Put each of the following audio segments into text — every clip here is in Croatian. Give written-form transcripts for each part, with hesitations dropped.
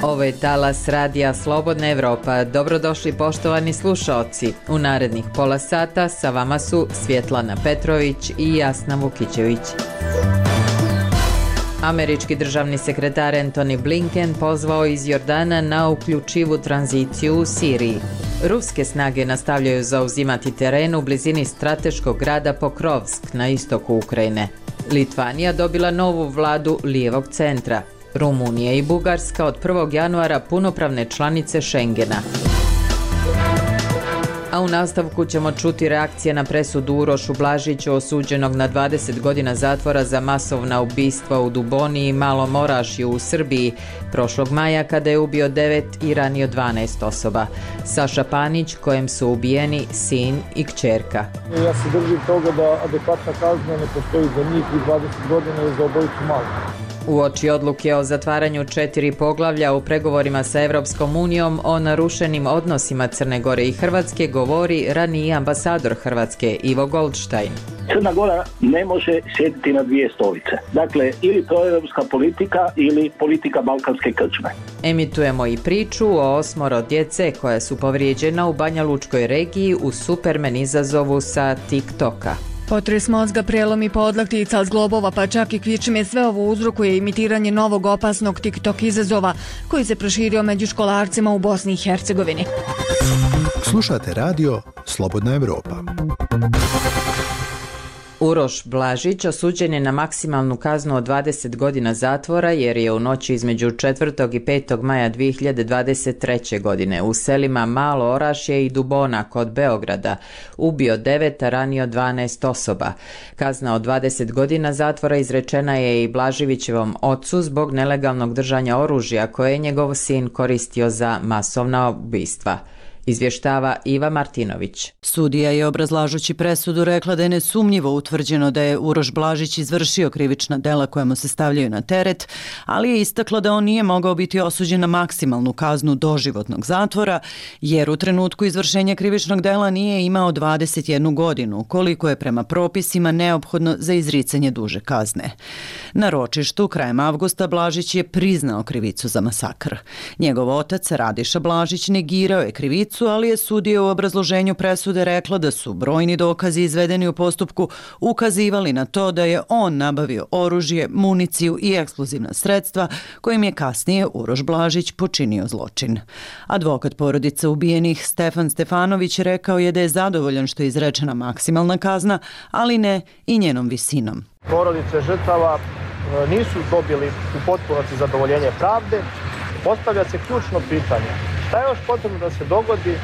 Ovo je talas radija Slobodna Evropa. Dobrodošli poštovani slušaoci. U narednih pola sata sa vama su Svjetlana Petrović i Jasna Vukićević. Američki državni sekretar Antony Blinken pozvao iz Jordana na uključivu tranziciju u Siriji. Ruske snage nastavljaju zauzimati teren u blizini strateškog grada Pokrovsk na istoku Ukrajine. Litvanija dobila novu vladu lijevog centra. Rumunija i Bugarska od 1. januara punopravne članice Schengena. A u nastavku ćemo čuti reakcije na presudu Urošu Blažiću osuđenog na 20 godina zatvora za masovna ubistva u Duboni i Malom Orašju u Srbiji prošlog maja kada je ubio 9 i ranio 12 osoba. Saša Panić, kojem su ubijeni sin i kćerka. Ja se držim toga da adekvatna kazna ne postoji za njih i 20 godina je za obojicu malo. Uoči odluke o zatvaranju 4 poglavlja u pregovorima sa Evropskom unijom o narušenim odnosima Crne Gore i Hrvatske govori raniji ambasador Hrvatske Ivo Goldstein. Crna Gora ne može sjediti na dvije stolice. Dakle, ili proevropska politika ili politika balkanske krčme. Emitujemo i priču o 8 djece koja su povrijeđena u Banjalučkoj regiji u Superman izazovu sa TikToka. Potres mozga, prelom i podlaktica, zglobova pa čak i kvičime, sve ovo uzrokuje imitiranje novog opasnog TikTok izazova koji se proširio među školarcima u Bosni i Hercegovini. Slušate radio Slobodna Evropa. Uroš Blažić osuđen je na maksimalnu kaznu od 20 godina zatvora jer je u noći između 4. i 5. maja 2023. godine u selima Malo Orašje i Dubona kod Beograda ubio 9, a ranio 12 osoba. Kazna od 20 godina zatvora izrečena je i Blaživićevom ocu zbog nelegalnog držanja oružja koje je njegov sin koristio za masovna ubistva. Izvještava Iva Martinović. Sudija je obrazlažući presudu rekla da je nesumnjivo utvrđeno da je Uroš Blažić izvršio krivična dela koja mu se stavljaju na teret, ali je istakla da on nije mogao biti osuđen na maksimalnu kaznu doživotnog zatvora, jer u trenutku izvršenja krivičnog dela nije imao 21 godinu, koliko je prema propisima neophodno za izricanje duže kazne. Na ročištu krajem avgusta Blažić je priznao krivicu za masakr. Njegov otac Radiša Blažić negirao je krivicu, ali je sudija u obrazloženju presude rekla da su brojni dokazi izvedeni u postupku ukazivali na to da je on nabavio oružje, municiju i eksplozivna sredstva kojim je kasnije Uroš Blažić počinio zločin. Advokat porodice ubijenih Stefan Stefanović rekao je da je zadovoljan što je izrečena maksimalna kazna, ali ne i njenom visinom. Porodice žrtava nisu dobili u potpunosti zadovoljenje pravde. Postavlja se ključno pitanje. Šta je još potrebno da se dogodi,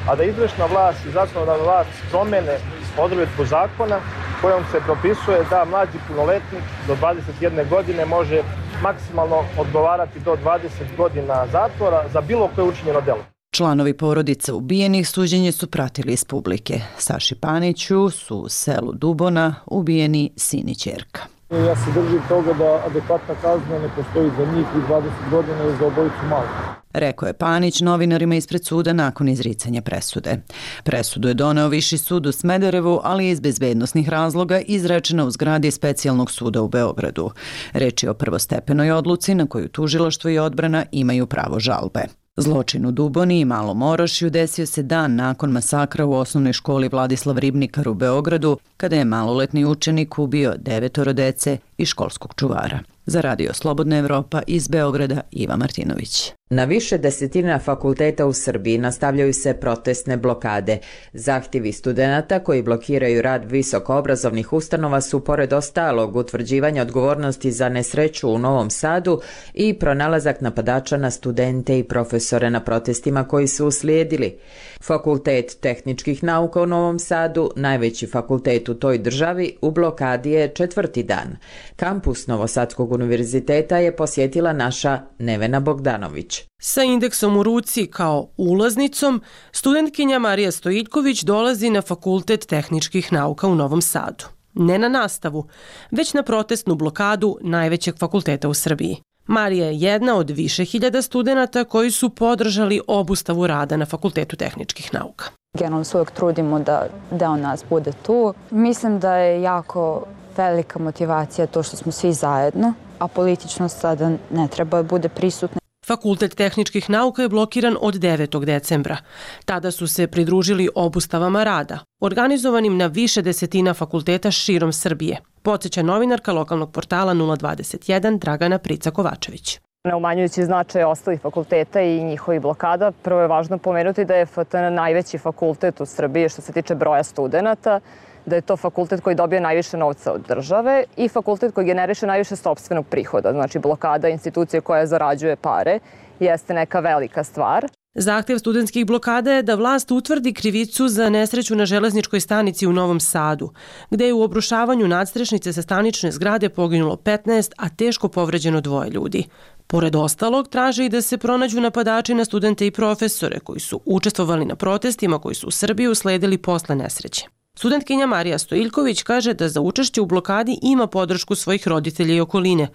a da izvršna vlast i zakonodavna vlast promene odredbu zakona kojom se propisuje da mlađi punoletnik do 21 godine može maksimalno odgovarati do 20 godina zatvora za bilo koje učinjeno delo. Članovi porodice ubijenih suđenje su pratili iz publike. Saši Paniću su u selu Dubona ubijeni sin i ćerka. Ja se držim toga da adekvatna kazna ne postoji za njih i 20 godina je za obojicu malo. Rekao je Panić novinarima ispred suda nakon izricanja presude. Presudu je doneo Viši sud u Smederevu, ali iz bezbednosnih razloga izrečena u zgradi Specijalnog suda u Beogradu. Reč je o prvostepenoj odluci na koju tužilaštvo i odbrana imaju pravo žalbe. Zločin u Duboni i Malom Orašju desio se dan nakon masakra u osnovnoj školi Vladislav Ribnikar u Beogradu, kada je maloletni učenik ubio 9 dece i školskog čuvara. Za radio Slobodna Evropa iz Beograda Iva Martinović. Na više desetina fakulteta u Srbiji nastavljaju se protestne blokade. Zahtjevi studenata koji blokiraju rad visokoobrazovnih ustanova su pored ostalog utvrđivanja odgovornosti za nesreću u Novom Sadu i pronalazak napadača na studente i profesore na protestima koji su uslijedili. Fakultet tehničkih nauka u Novom Sadu, najveći fakultet u toj državi, u blokadi je 4. dan. Kampus Novosadskog univerziteta je posjetila naša Nevena Bogdanović. Sa indeksom u ruci kao ulaznicom, studentkinja Marija Stojiljković dolazi na Fakultet tehničkih nauka u Novom Sadu. Ne na nastavu, već na protestnu blokadu najvećeg fakulteta u Srbiji. Marija je jedna od više hiljada studenata koji su podržali obustavu rada na Fakultetu tehničkih nauka. Generalno se uvijek trudimo da deo nas bude tu. Mislim da je jako velika motivacija to što smo svi zajedno, a političnost sada ne treba da bude prisutna. Fakultet tehničkih nauka je blokiran od 9. decembra. Tada su se pridružili obustavama rada, organizovanim na više desetina fakulteta širom Srbije. Podseća novinarka lokalnog portala 021 Dragana Prica-Kovačević. Ne umanjujući značaj ostalih fakulteta i njihovih blokada, prvo je važno pomenuti da je FTN najveći fakultet u Srbiji što se tiče broja studenata, da je to fakultet koji dobije najviše novca od države i fakultet koji generiše najviše sopstvenog prihoda. Znači blokada institucije koja zarađuje pare jeste neka velika stvar. Zahtev studentskih blokada je da vlast utvrdi krivicu za nesreću na železničkoj stanici u Novom Sadu, gde je u obrušavanju nadstrešnice sa stanične zgrade poginulo 15, a teško povređeno 2 ljudi. Pored ostalog, traže i da se pronađu napadači na studente i profesore koji su učestvovali na protestima koji su u Srbiji usledili posle nesreće. Studentkinja Marija Stojiljković kaže da za učešće u blokadi ima podršku svojih roditelja i okoline,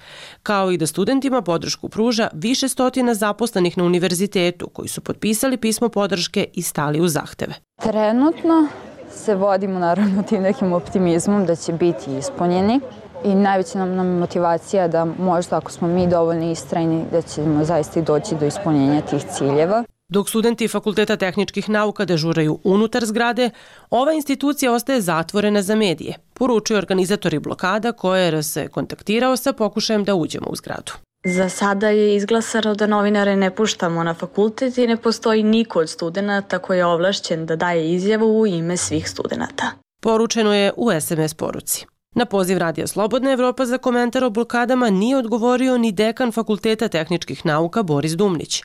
kao i da studentima podršku pruža više stotina zaposlenih na univerzitetu koji su potpisali pismo podrške i stali u zahteve. Trenutno se vodimo naravno tim nekim optimizmom da će biti ispunjeni i najveća nam motivacija da možda ako smo mi dovoljno istrajni da ćemo zaista i doći do ispunjenja tih ciljeva. Dok studenti Fakulteta tehničkih nauka dežuraju unutar zgrade, ova institucija ostaje zatvorena za medije, poručuju organizatori blokada koje se kontaktirao sa pokušajem da uđemo u zgradu. Za sada je izglasano da novinare ne puštamo na fakultet i ne postoji niko od studenata koji je ovlašćen da daje izjavu u ime svih studenata. Poručeno je u SMS poruci. Na poziv Radija Slobodna Evropa za komentar o blokadama nije odgovorio ni dekan Fakulteta tehničkih nauka Boris Dumnić.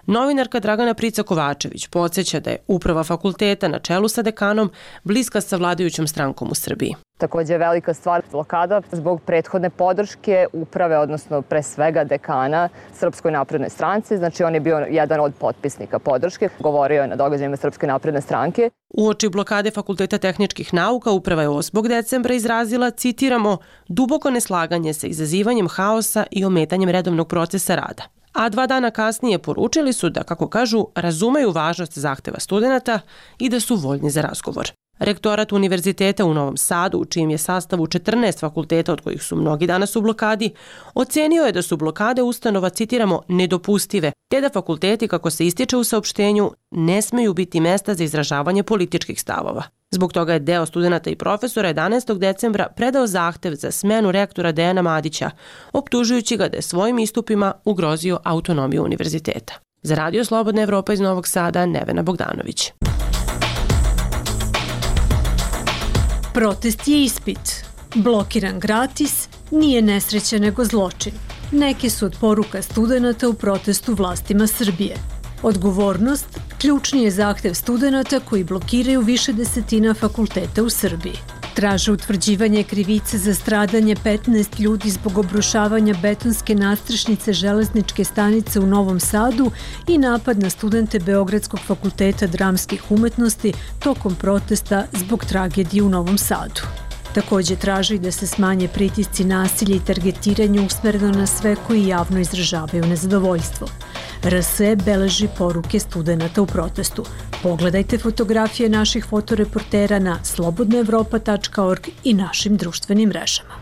Novinarka Dragana Prica-Kovačević podsjeća da je uprava fakulteta na čelu sa dekanom bliska sa vladajućom strankom u Srbiji. Također je velika stvar blokada zbog prethodne podrške uprave, odnosno pre svega dekana Srpskoj naprednoj stranci. Znači on je bio jedan od potpisnika podrške, govorio je na događajima Srpske napredne stranke. Uoči blokade Fakulteta tehničkih nauka uprava je 8. decembra izrazila, citiramo, duboko neslaganje sa izazivanjem haosa i ometanjem redovnog procesa rada. A 2 dana kasnije poručili su da, kako kažu, razumeju važnost zahteva studenata i da su voljni za razgovor. Rektorat Univerziteta u Novom Sadu, u čijem je sastavu 14 fakulteta, od kojih su mnogi danas u blokadi, ocenio je da su blokade ustanova, citiramo, nedopustive, te da fakulteti, kako se ističe u saopštenju, ne smeju biti mesta za izražavanje političkih stavova. Zbog toga je deo studenata i profesora 11. decembra predao zahtev za smenu rektora Dejana Madića, optužujući ga da je svojim istupima ugrozio autonomiju univerziteta. Za Radio Slobodna Evropa iz Novog Sada, Nevena Bogdanović. Protest je ispit. Blokiran gratis, nije nesreća nego zločin. Neke su od poruka studenata u protestu vlastima Srbije. Odgovornost, ključni je zahtev studenata koji blokiraju više desetina fakulteta u Srbiji. Traže utvrđivanje krivice za stradanje 15 ljudi zbog obrušavanja betonske nadstrešnice železničke stanice u Novom Sadu i napad na studente Beogradskog fakulteta dramskih umetnosti tokom protesta zbog tragedije u Novom Sadu. Također traži da se smanje pritisci nasilja i targetiranje usmereno na sve koji javno izražavaju nezadovoljstvo. RSE beleži poruke studenata u protestu. Pogledajte fotografije naših fotoreportera na slobodnaevropa.org i našim društvenim mrežama.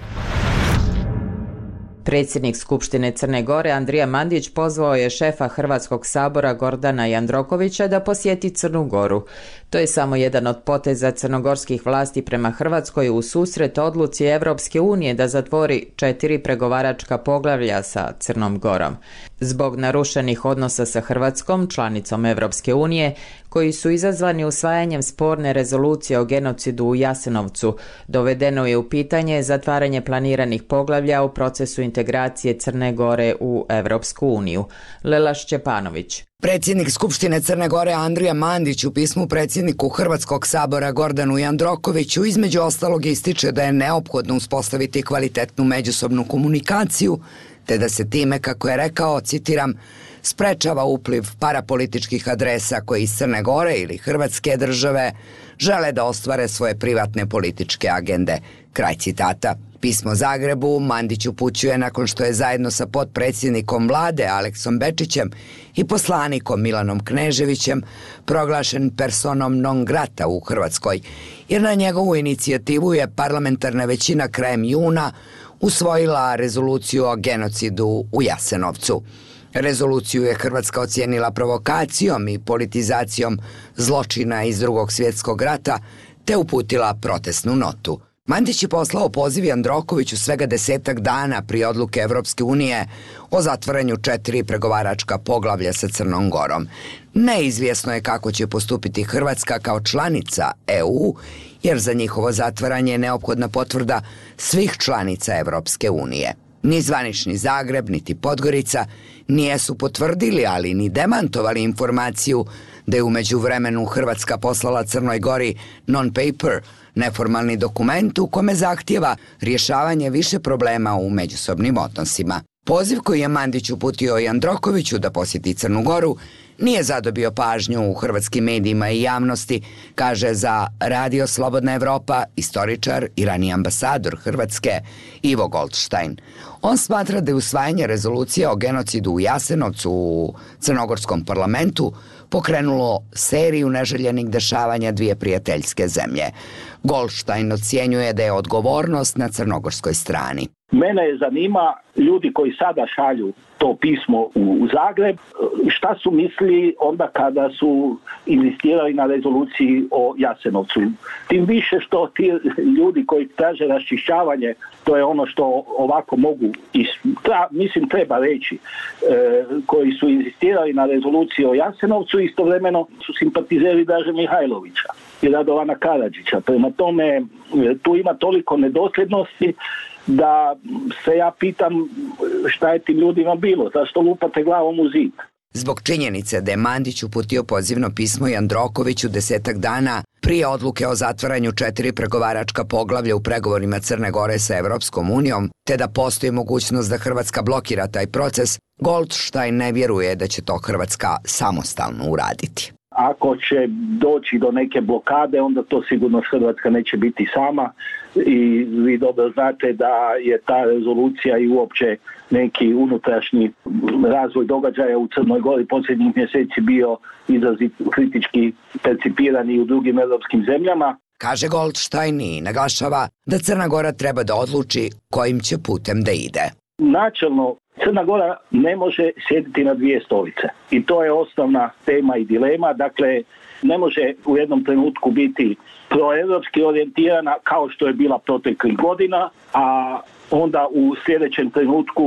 Predsjednik Skupštine Crne Gore Andrija Mandić pozvao je šefa Hrvatskog sabora Gordana Jandrokovića da posjeti Crnu Goru. To je samo jedan od poteza crnogorskih vlasti prema Hrvatskoj u susret odluci Evropske unije da zatvori 4 pregovaračka poglavlja sa Crnom Gorom. Zbog narušenih odnosa sa Hrvatskom, članicom Evropske unije, koji su izazvani usvajanjem sporne rezolucije o genocidu u Jasenovcu, dovedeno je u pitanje zatvaranje planiranih poglavlja u procesu integracije Crne Gore u Evropsku uniju. Lela Šćepanović. Predsjednik Skupštine Crne Gore Andrija Mandić u pismu predsjedniku Hrvatskog sabora Gordanu Jandrokoviću između ostalog ističe da je neophodno uspostaviti kvalitetnu međusobnu komunikaciju, te da se time, kako je rekao, citiram, sprečava upliv parapolitičkih adresa koji iz Crne Gore ili Hrvatske države žele da ostvare svoje privatne političke agende. Kraj citata. Pismo Zagrebu Mandić upućuje nakon što je zajedno sa potpredsjednikom vlade Aleksom Bečićem i poslanikom Milanom Kneževićem proglašen personom non grata u Hrvatskoj, jer na njegovu inicijativu je parlamentarna većina krajem juna usvojila rezoluciju o genocidu u Jasenovcu. Rezoluciju je Hrvatska ocijenila provokacijom i politizacijom zločina iz Drugog svjetskog rata te uputila protestnu notu. Mandić je poslao poziv Jandrokoviću svega 10 dana prije odluke Evropske unije o zatvaranju 4 pregovaračka poglavlja sa Crnom Gorom. Neizvjesno je kako će postupiti Hrvatska kao članica EU, jer za njihovo zatvaranje je neophodna potvrda svih članica Evropske unije. Ni zvanični Zagreb, niti Podgorica nijesu potvrdili, ali ni demantovali informaciju da je u međuvremenu Hrvatska poslala Crnoj Gori non-paper, neformalni dokument u kome zahtijeva rješavanje više problema u međusobnim odnosima. Poziv koji je Mandić uputio Jandrokoviću da posjeti Crnu Goru nije zadobio pažnju u hrvatskim medijima i javnosti, kaže za Radio Slobodna Evropa istoričar i raniji ambasador Hrvatske Ivo Goldstein. On smatra da je usvajanje rezolucije o genocidu u Jasenovcu u crnogorskom parlamentu pokrenulo seriju neželjenih dešavanja dvije prijateljske zemlje. Goldstein ocjenjuje da je odgovornost na crnogorskoj strani. Mene zanima ljudi koji sada šalju to pismo u Zagreb, šta su mislili onda kada su inzistirali na rezoluciji o Jasenovcu. Tim više što ti ljudi koji traže raščišćavanje, to je ono što ovako mogu, treba reći, koji su inzistirali na rezoluciji o Jasenovcu, istovremeno su simpatizeri Draže Mihajlovića i Radovana Karadžića. Prema tome, tu ima toliko nedosljednosti da se ja pitam šta je tim ljudima bilo, zašto lupate glavom u zid. Zbog činjenice da je Mandić uputio pozivno pismo Jandrokoviću 10 dana prije odluke o zatvaranju 4 pregovaračka poglavlja u pregovorima Crne Gore sa Evropskom unijom, te da postoji mogućnost da Hrvatska blokira taj proces, Goldstein ne vjeruje da će to Hrvatska samostalno uraditi. Ako će doći do neke blokade, onda to sigurno Hrvatska neće biti sama i vi dobro znate da je ta rezolucija i uopće neki unutrašnji razvoj događaja u Crnoj Gori posljednjih mjeseci bio izrazito kritički percipiran i u drugim europskim zemljama. Kaže Goldstein i naglašava da Crna Gora treba da odluči kojim će putem da ide. Načelno, Crna Gora ne može sjediti na dvije stolice i to je osnovna tema i dilema. Dakle, ne može u jednom trenutku biti proevropski orijentirana kao što je bila proteklih godina, a onda u sljedećem trenutku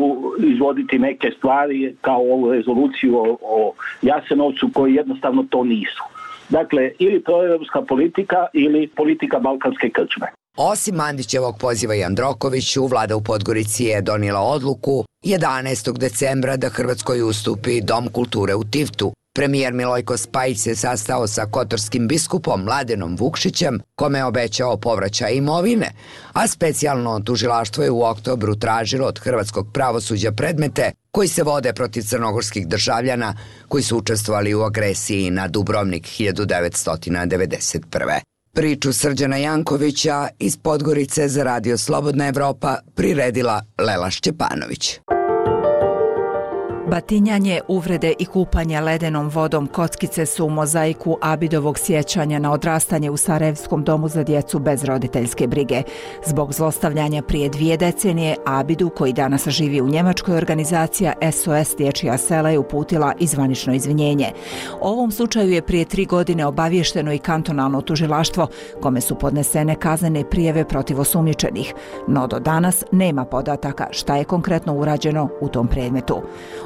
izvoditi neke stvari kao ovu rezoluciju o Jasenovcu koji jednostavno to nisu. Dakle, ili proevropska politika ili politika balkanske krčme. Osim Mandićevog poziva Jandrokoviću, vlada u Podgorici je donijela odluku 11. decembra da Hrvatskoj ustupi Dom kulture u Tivtu. Premijer Milojko Spajić se sastao sa kotorskim biskupom Mladenom Vukšićem, kome je obećao povraćaj imovine, a specijalno tužilaštvo je u oktobru tražilo od hrvatskog pravosuđa predmete koji se vode protiv crnogorskih državljana koji su učestvovali u agresiji na Dubrovnik 1991. Priču Srđana Jankovića iz Podgorice za Radio Slobodna Evropa priredila Lela Šćepanović. Batinjanje, uvrede i kupanje ledenom vodom kockice su u mozaiku Abidovog sjećanja na odrastanje u Sarajevskom domu za djecu bez roditeljske brige. Zbog zlostavljanja prije 2 decenije, Abidu, koji danas živi u Njemačkoj, organizacija SOS Dječja sela je uputila i zvanično izvinjenje. O ovom slučaju je prije 3 godine obavješteno i kantonalno tužilaštvo, kome su podnesene kaznene prijave protiv osumnjičenih, no do danas nema podataka šta je konkretno urađeno u tom predmetu.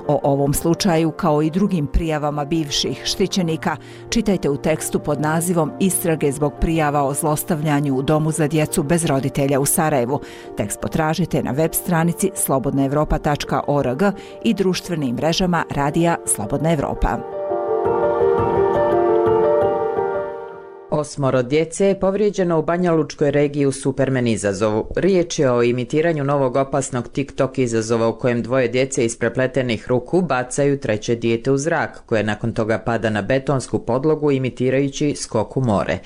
O ovom slučaju, kao i drugim prijavama bivših štićenika, čitajte u tekstu pod nazivom Istrage zbog prijava o zlostavljanju u domu za djecu bez roditelja u Sarajevu. Tekst potražite na web stranici slobodnaevropa.org i društvenim mrežama Radija Slobodna Evropa. 8 djece je povrijeđeno u Banjalučkoj regiji u Superman izazovu. Riječ je o imitiranju novog opasnog TikTok izazova u kojem 2 djece iz prepletenih ruku bacaju 3. dijete u zrak, koje nakon toga pada na betonsku podlogu imitirajući skok u more.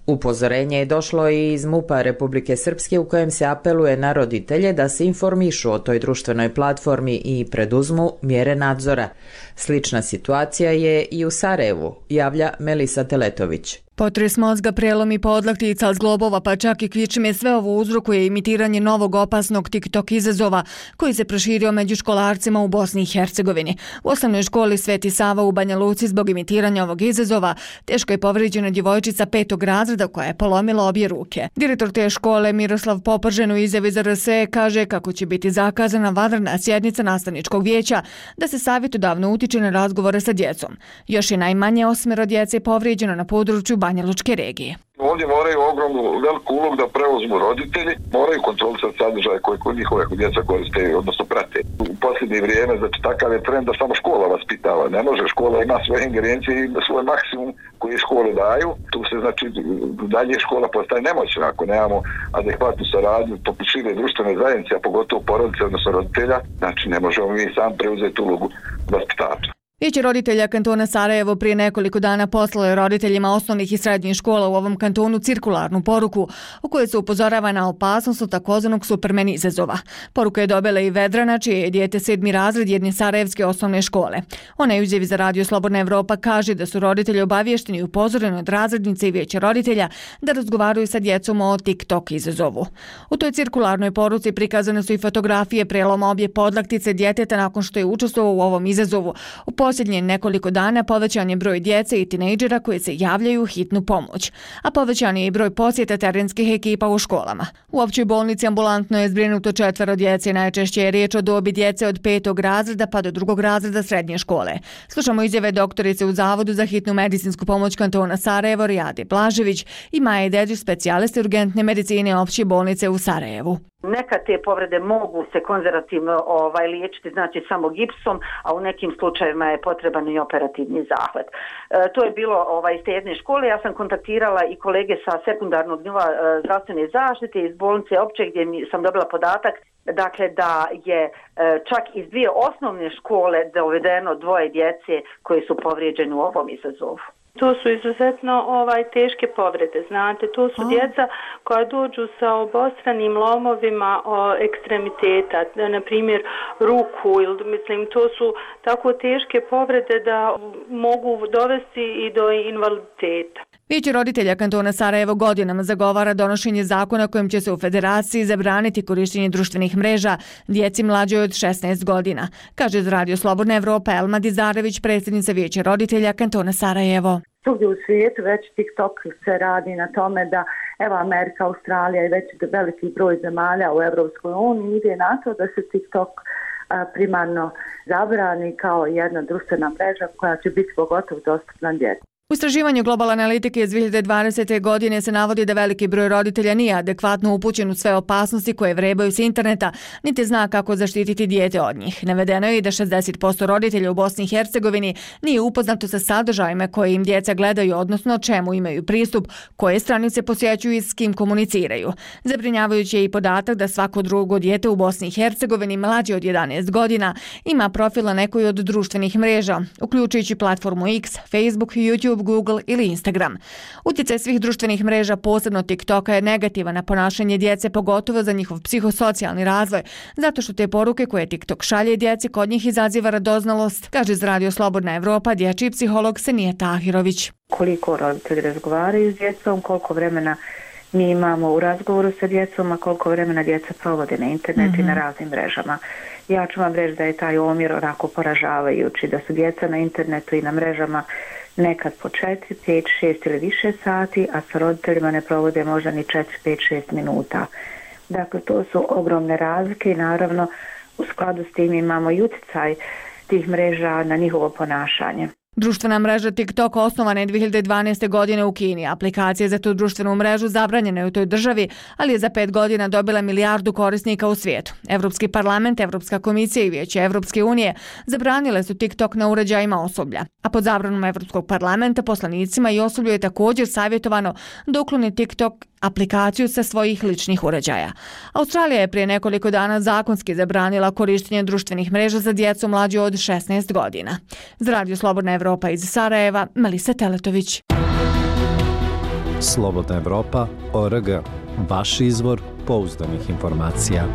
Upozorenje je došlo i iz MUP-a Republike Srpske u kojem se apeluje na roditelje da se informišu o toj društvenoj platformi i preduzmu mjere nadzora. Slična situacija je i u Sarajevu, javlja Melisa Teletović. Potres mozga, prelomi podlaktica, zglobova pa čak i kičme, sve ovo uzrokuje imitiranje novog opasnog TikTok izazova koji se proširio među školarcima u Bosni i Hercegovini. U osnovnoj školi Sveti Sava u Banja Luci zbog imitiranja ovog izazova teško je povrijeđena djevojčica 5. razreda koja je polomila obje ruke. Direktor te škole Miroslav Popržen u izjavi za RSE kaže kako će biti zakazana vanredna sjednica nastavničkog vijeća da se savjetodavno utiče na razgovore sa djecom. Još je najmanje 8 djece povrijeđeno na području Banjalučke regije. Ovdje moraju ogromnu veliku ulogu da preuzmu roditelji, moraju kontrolisati sadržaje koje njihove djeca koriste, odnosno prate. U posljednje vrijeme, znači takav je trend da samo škola vaspitava. Ne može, škola ima svoje ingerencije i svoj maksimum koji škole daju. Tu se znači dalje škola postaje nemoćna ako nemamo adekvatnu saradnju šire društvene zajednice, a pogotovo porodice, odnosno roditelja. Znači ne možemo mi sam preuzeti ulogu vaspitača. Vijeće roditelja kantona Sarajevo prije nekoliko dana poslalo je roditeljima osnovnih i srednjih škola u ovom kantonu cirkularnu poruku u kojoj se upozorava na opasnost od takozvanog Superman izazova. Poruka je dobila i Vedrana, čije je dijete 7. razred jedne sarajevske osnovne škole. Ona je u izjavi za Radio Slobodna Evropa kaže da su roditelji obavješteni i upozoreni od razrednice i vijeća roditelja da razgovaraju sa djecom o TikTok izazovu. U toj cirkularnoj poruci prikazane su i fotografije preloma obje podlaktice djeteta nakon što je učestvovao u ovom izazovu. U posljednje nekoliko dana povećan je broj djece i tinejdžera koji se javljaju u hitnu pomoć, a povećan je i broj posjeta terenskih ekipa u školama. U općoj bolnici ambulantno je zbrinuto 4 djece, najčešće je riječ o dobi djece od 5. razreda pa do 2. razreda srednje škole. Slušamo izjave doktorice u Zavodu za hitnu medicinsku pomoć kantona Sarajevo Rijade Blažević i Maje Dedić, specijaliste urgentne medicine opće bolnice u Sarajevu. Nekad te povrede mogu se konzervativno liječiti, znači samo gipsom, a u nekim slučajevima je potreban i operativni zahvat. To je bilo iz te jedne škole. Ja sam kontaktirala i kolege sa sekundarnog nivoa zdravstvene zaštite iz bolnice opće gdje sam dobila podatak dakle da je čak iz 2 osnovne škole dovedeno 2 djece koji su povrijeđeni u ovom izazovu. To su izuzetno teške povrede, znate, to su djeca koja dođu sa obostranim lomovima ekstremiteta, na primjer ruku, ili mislim, to su tako teške povrede da mogu dovesti i do invaliditeta. Vijeće roditelja kantona Sarajevo godinama zagovara donošenje zakona kojim će se u federaciji zabraniti korištenje društvenih mreža djeci mlađoj od 16 godina, kaže za Radio Slobodna Evropa Elma Dizarević, predsjednica Vijeća roditelja kantona Sarajevo. Svugdje u svijetu već TikTok se radi na tome da Amerika, Australija i već veliki broj zemalja u Europskoj uniji ide na to da se TikTok primarno zabrani kao jedna društvena mreža koja će biti pogotovo dostupna djeci. U istraživanju Global Analitike iz 2020. godine se navodi da veliki broj roditelja nije adekvatno upućen u sve opasnosti koje vrebaju s interneta, niti zna kako zaštititi dijete od njih. Navedeno je i da 60% roditelja u Bosni i Hercegovini nije upoznato sa sadržajima koje im djeca gledaju, odnosno čemu imaju pristup, koje stranice posjećuju i s kim komuniciraju. Zabrinjavajući je i podatak da svako drugo dijete u Bosni i Hercegovini mlađe od 11 godina ima profil na nekoj od društvenih mreža, uključujući platformu X, Facebook, YouTube, Google ili Instagram. Utjecaj svih društvenih mreža, posebno TikToka, je negativan na ponašanje djece, pogotovo za njihov psihosocijalni razvoj, zato što te poruke koje TikTok šalje djeci kod njih izaziva radoznalost, kaže za Radio Slobodna Evropa dječji psiholog Senija Tahirović. Koliko roditelji razgovaraju s djecom, koliko vremena mi imamo u razgovoru sa djecom, a koliko vremena djeca provode na internetu i na raznim mrežama. Ja ću vam reći da je taj omjer onako poražavajući, da su djeca na internetu i na mrežama nekad po 4, 5, 6 ili više sati, a sa roditeljima ne provode možda ni 4, 5, 6 minuta. Dakle, to su ogromne razlike i naravno u skladu s tim imamo i utjecaj tih mreža na njihovo ponašanje. Društvena mreža TikTok osnovana je 2012. godine u Kini. Aplikacija za tu društvenu mrežu zabranjena je u toj državi, ali je za 5 godina dobila 1 milijardu korisnika u svijetu. Evropski parlament, Evropska komisija i Vijeće Evropske unije zabranile su TikTok na uređajima osoblja. A pod zabranom Evropskog parlamenta poslanicima i osoblju je također savjetovano da ukloni TikTok aplikaciju sa svojih ličnih uređaja. Australija je prije nekoliko dana zakonski zabranila korištenje društvenih mreža za djecu mlađu od 16 godina. Za Radio Slobodna Evropa iz Sarajeva, Melisa Teletović. Slobodna Evropa.org. Vaš izvor pouzdanih informacija.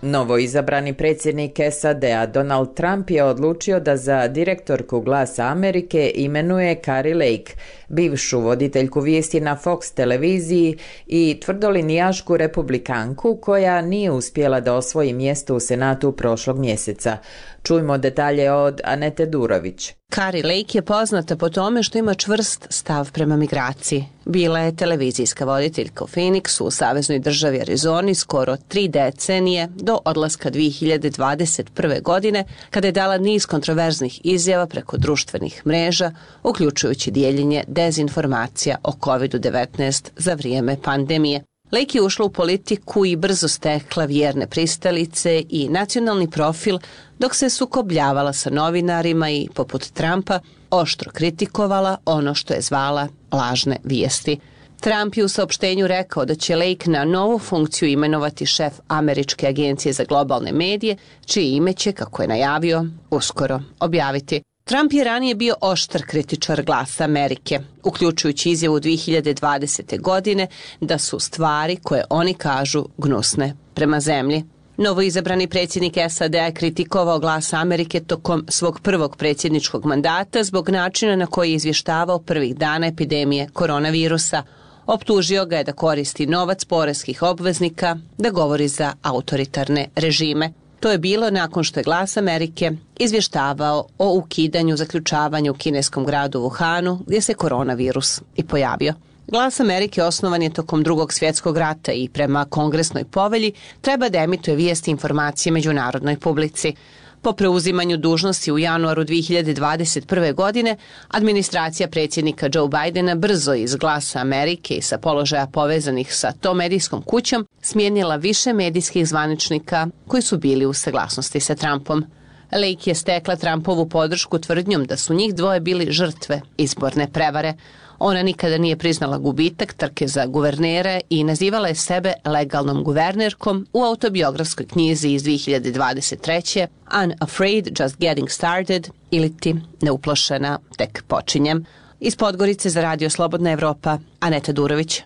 Novoizabrani predsjednik SAD-a Donald Trump je odlučio da za direktorku Glasa Amerike imenuje Kari Lake, bivšu voditeljku vijesti na Fox televiziji i tvrdolinijašku republikanku koja nije uspjela da osvoji mjesto u Senatu prošlog mjeseca. Čujmo detalje od Anete Durović. Kari Lake je poznata po tome što ima čvrst stav prema migraciji. Bila je televizijska voditeljka u Phoenixu u saveznoj državi Arizoni skoro 3 decenije do odlaska 2021. godine, kada je dala niz kontroverznih izjava preko društvenih mreža, uključujući dijeljenje dezinformacija o COVID-19 za vrijeme pandemije. Lake je ušla u politiku i brzo stekla vjerne pristalice i nacionalni profil, dok se sukobljavala sa novinarima i, poput Trumpa, oštro kritikovala ono što je zvala lažne vijesti. Trump je u saopštenju rekao da će Lake na novu funkciju imenovati šef Američke agencije za globalne medije, čije ime će, kako je najavio, uskoro objaviti. Trump je ranije bio oštar kritičar Glasa Amerike, uključujući izjavu 2020. godine da su stvari koje oni kažu gnusne prema zemlji. Novoizabrani predsjednik SAD je kritikovao Glas Amerike tokom svog prvog predsjedničkog mandata zbog načina na koji je izvještavao prvih dana epidemije koronavirusa. Optužio ga je da koristi novac poreskih obveznika, da govori za autoritarne režime. To je bilo nakon što je Glas Amerike izvještavao o ukidanju zaključavanja u kineskom gradu Wuhanu, gdje se koronavirus i pojavio. Glas Amerike osnovan je tokom Drugog svjetskog rata i prema kongresnoj povelji treba da emituje vijesti i informacije međunarodnoj publici. Po preuzimanju dužnosti u januaru 2021. godine, administracija predsjednika Joe Bidena brzo iz Glasa Amerike i sa položaja povezanih sa tom medijskom kućom smijenila više medijskih zvaničnika koji su bili u saglasnosti sa Trumpom. Lake je stekla Trumpovu podršku tvrdnjom da su njih dvoje bili žrtve izborne prevare. Ona nikada nije priznala gubitak trke za guvernere i nazivala je sebe legalnom guvernerkom u autobiografskoj knjizi iz 2023. Unafraid, Just Getting Started ili ti Neuplošena, tek počinjem. Iz Podgorice za Radio Slobodna Evropa, Aneta Durović.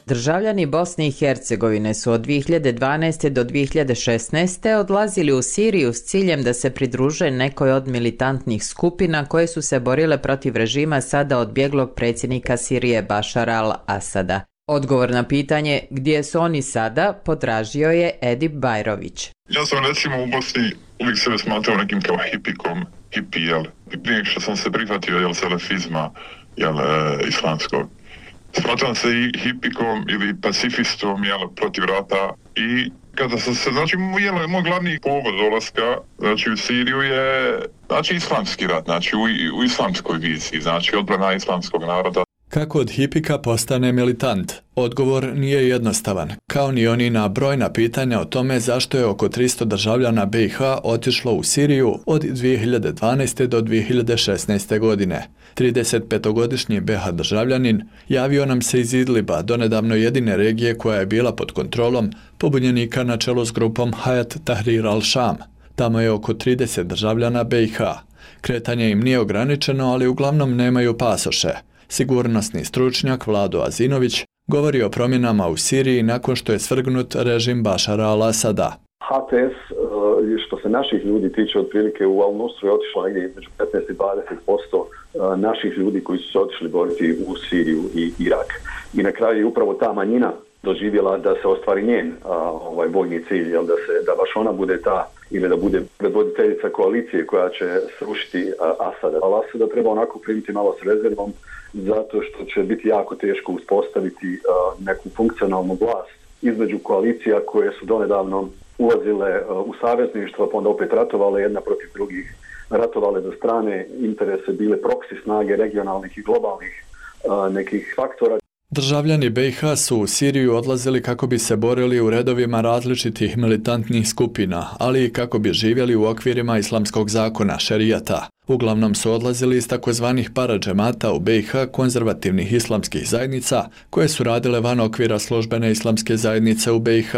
Državljani Bosne i Hercegovine su od 2012. do 2016. odlazili u Siriju s ciljem da se pridruže nekoj od militantnih skupina koje su se borile protiv režima sada odbjeglog predsjednika Sirije Bašara al-Asada. Odgovor na pitanje gdje su oni sada potražio je Edip Bajrović. Ja sam recimo u Bosni uvijek sebe smatrao nekim kao hipikom, hipi, jel? Prije što sam se prihvatio, jel, salafizma, jel, islamskog. Smatram se i hipikom ili pacifistom, jel, protiv rata i kada sam se, znači, moj glavni povod dolaska, znači, u Siriju je, znači, islamski rat, znači, u islamskoj viziji, znači, odbrana islamskog naroda. Kako od hipika postane militant? Odgovor nije jednostavan, kao ni oni na brojna pitanja o tome zašto je oko 300 državljana BiH otišlo u Siriju od 2012. do 2016. godine. 35-godišnji BiH državljanin javio nam se iz Idliba, donedavno jedine regije koja je bila pod kontrolom pobunjenika na čelu s grupom Hayat Tahrir al-Sham. Tamo je oko 30 državljana BiH. Kretanje im nije ograničeno, ali uglavnom nemaju pasoše. Sigurnosni stručnjak Vlado Azinović govori o promjenama u Siriji nakon što je svrgnut režim Bašara al-Asada. HTS, što se naših ljudi tiče, otprilike u Al-Nusru je otišlo negdje između 15 i 20% naših ljudi koji su se otišli boriti u Siriju i Irak. I na kraju je upravo ta manjina doživjela da se ostvari njen vojni cilj, jel, da baš ona bude ta ili da bude predvoditeljica koalicije koja će srušiti Asada. Al-Asada treba onako primiti malo s rezervom, zato što će biti jako teško uspostaviti neku funkcionalnu vlast između koalicija koje su donedavno ulazile u savezništva, pa onda opet ratovale jedna protiv drugih, ratovale za strane interese, bile proksi snage regionalnih i globalnih nekih faktora. Državljani BiH su u Siriju odlazili kako bi se borili u redovima različitih militantnih skupina, ali i kako bi živjeli u okvirima islamskog zakona, šerijata. Uglavnom su odlazili iz takozvanih paradžemata u BiH konzervativnih islamskih zajednica koje su radile van okvira službene islamske zajednice u BiH,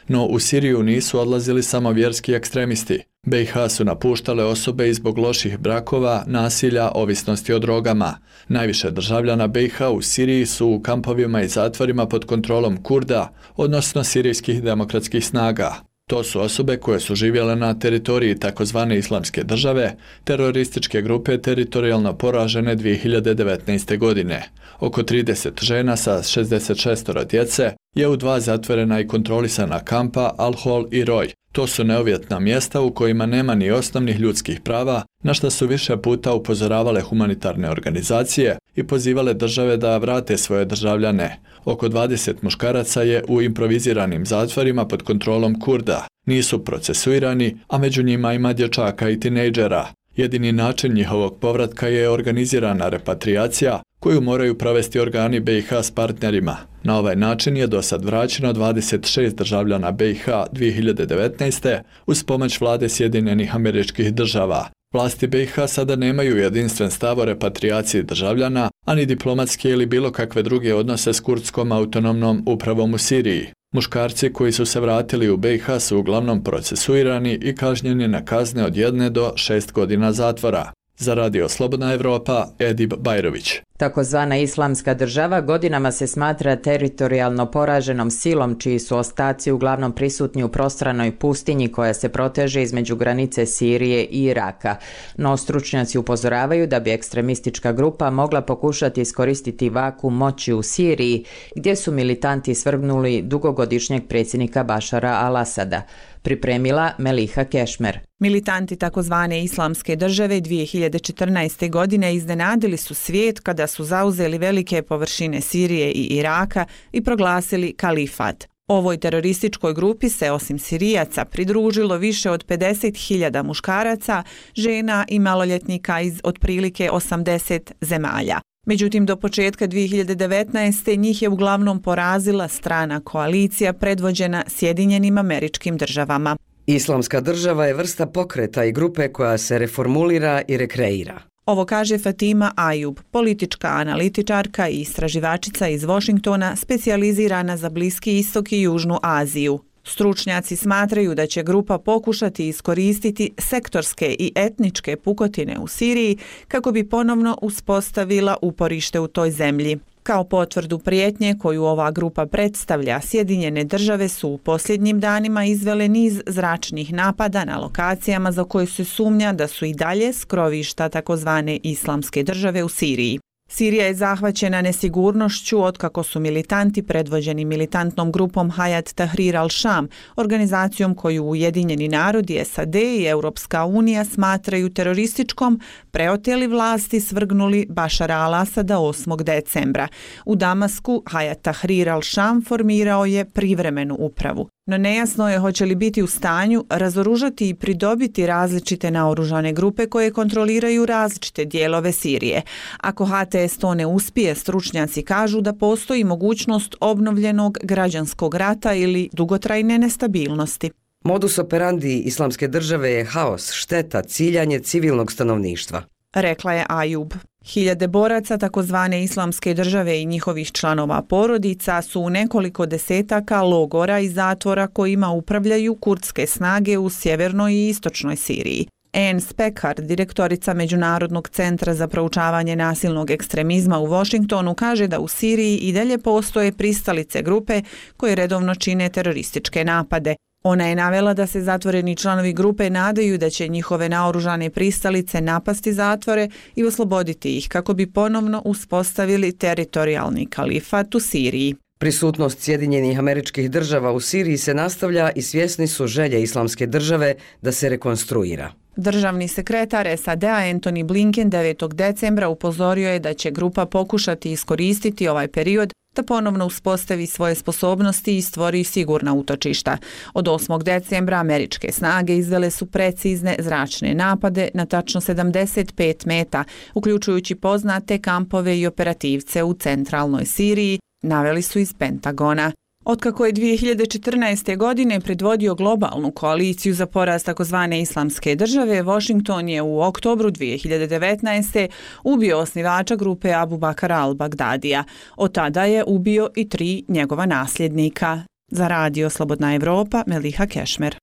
no u Siriju nisu odlazili samo vjerski ekstremisti. BiH su napuštale osobe i zbog loših brakova, nasilja, ovisnosti o drogama. Najviše državljana BiH u Siriji su u kampovima i zatvorima pod kontrolom Kurda, odnosno sirijskih demokratskih snaga. To su osobe koje su živjele na teritoriji takozvane islamske države, terorističke grupe teritorijalno poražene 2019. godine. Oko 30 žena sa 66 djece je u 2 zatvorena i kontrolisana kampa Al-Hol i Roj. To su neuvjetna mjesta u kojima nema ni osnovnih ljudskih prava, na što su više puta upozoravale humanitarne organizacije i pozivale države da vrate svoje državljane. Oko 20 muškaraca je u improviziranim zatvorima pod kontrolom Kurda. Nisu procesuirani, a među njima ima dječaka i tinejdžera. Jedini način njihovog povratka je organizirana repatriacija koju moraju provesti organi BiH s partnerima. Na ovaj način je do sad vraćeno 26 državljana BiH 2019. uz pomoć vlade Sjedinjenih Američkih Država. Vlasti BiH sada nemaju jedinstven stav o repatriaciji državljana, ani diplomatske ili bilo kakve druge odnose s kurdskom autonomnom upravom u Siriji. Muškarci koji su se vratili u BiH su uglavnom procesuirani i kažnjeni na kazne od 1 do 6 godina zatvora. Za Radio Slobodna Evropa, Edib Bajrović. Takozvana islamska država godinama se smatra teritorijalno poraženom silom čiji su ostaci uglavnom prisutni u prostranoj pustinji koja se proteže između granice Sirije i Iraka. No stručnjaci upozoravaju da bi ekstremistička grupa mogla pokušati iskoristiti vakuum moći u Siriji, gdje su militanti svrgnuli dugogodišnjeg predsjednika Bašara al-Asada. Pripremila Meliha Kešmer. Militanti takozvane islamske države 2014. godine iznenadili su svijet kada su zauzeli velike površine Sirije i Iraka i proglasili kalifat. Ovoj terorističkoj grupi se osim Sirijaca pridružilo više od 50.000 muškaraca, žena i maloljetnika iz otprilike 80 zemalja. Međutim, do početka 2019. njih je uglavnom porazila strana koalicija predvođena Sjedinjenim Američkim Državama. Islamska država je vrsta pokreta i grupe koja se reformulira i rekreira. Ovo kaže Fatima Ajub, politička analitičarka i istraživačica iz Washingtona, specijalizirana za Bliski istok i Južnu Aziju. Stručnjaci smatraju da će grupa pokušati iskoristiti sektorske i etničke pukotine u Siriji kako bi ponovno uspostavila uporište u toj zemlji. Kao potvrdu prijetnje koju ova grupa predstavlja, Sjedinjene države su u posljednjim danima izvele niz zračnih napada na lokacijama za koje se sumnja da su i dalje skrovišta takozvane islamske države u Siriji. Sirija je zahvaćena nesigurnošću otkako su militanti predvođeni militantnom grupom Hayat Tahrir al-Sham, organizacijom koju Ujedinjeni narodi, SAD i Europska unija smatraju terorističkom, preoteli vlasti svrgnuli Bašara al-Asada 8. decembra. U Damasku Hayat Tahrir al-Sham formirao je privremenu upravu. No nejasno je hoće li biti u stanju razoružati i pridobiti različite naoružane grupe koje kontroliraju različite dijelove Sirije. Ako HTS to ne uspije, stručnjaci kažu da postoji mogućnost obnovljenog građanskog rata ili dugotrajne nestabilnosti. Modus operandi islamske države je haos, šteta, ciljanje civilnog stanovništva, rekla je Ajub. Hiljade boraca takozvane islamske države i njihovih članova porodica su u nekoliko desetaka logora i zatvora kojima upravljaju kurdske snage u sjevernoj i istočnoj Siriji. Anne Spekar, direktorica Međunarodnog centra za proučavanje nasilnog ekstremizma u Washingtonu, kaže da u Siriji i dalje postoje pristalice grupe koje redovno čine terorističke napade. Ona je navela da se zatvoreni članovi grupe nadaju da će njihove naoružane pristalice napasti zatvore i osloboditi ih kako bi ponovno uspostavili teritorijalni kalifat u Siriji. Prisutnost Sjedinjenih Američkih Država u Siriji se nastavlja i svjesni su želje islamske države da se rekonstruira. Državni sekretar SAD-a Antony Blinken 9. decembra upozorio je da će grupa pokušati iskoristiti ovaj period da ponovno uspostavi svoje sposobnosti i stvori sigurna utočišta. Od 8. decembra američke snage izvele su precizne zračne napade na tačno 75 meta, uključujući poznate kampove i operativce u centralnoj Siriji, naveli su iz Pentagona. Otkako je 2014. godine predvodio globalnu koaliciju za poraz takozvane islamske države, Washington je u oktobru 2019. ubio osnivača grupe Abu Bakara al-Bagdadija. Od tada je ubio i 3 njegova nasljednika. Za Radio Slobodna Evropa, Meliha Kešmer.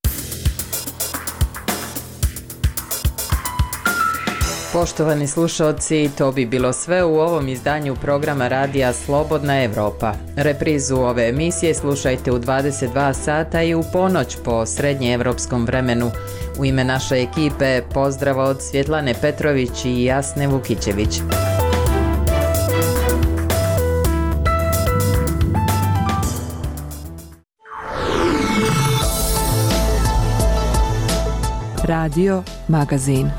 Poštovani slušalci, to bi bilo sve u ovom izdanju programa Radija Slobodna Evropa. Reprizu ove emisije slušajte u 22 sata i u ponoć po srednjeevropskom vremenu. U ime naše ekipe pozdrav od Svjetlane Petrović i Jasne Vukićević. Radio Magazin.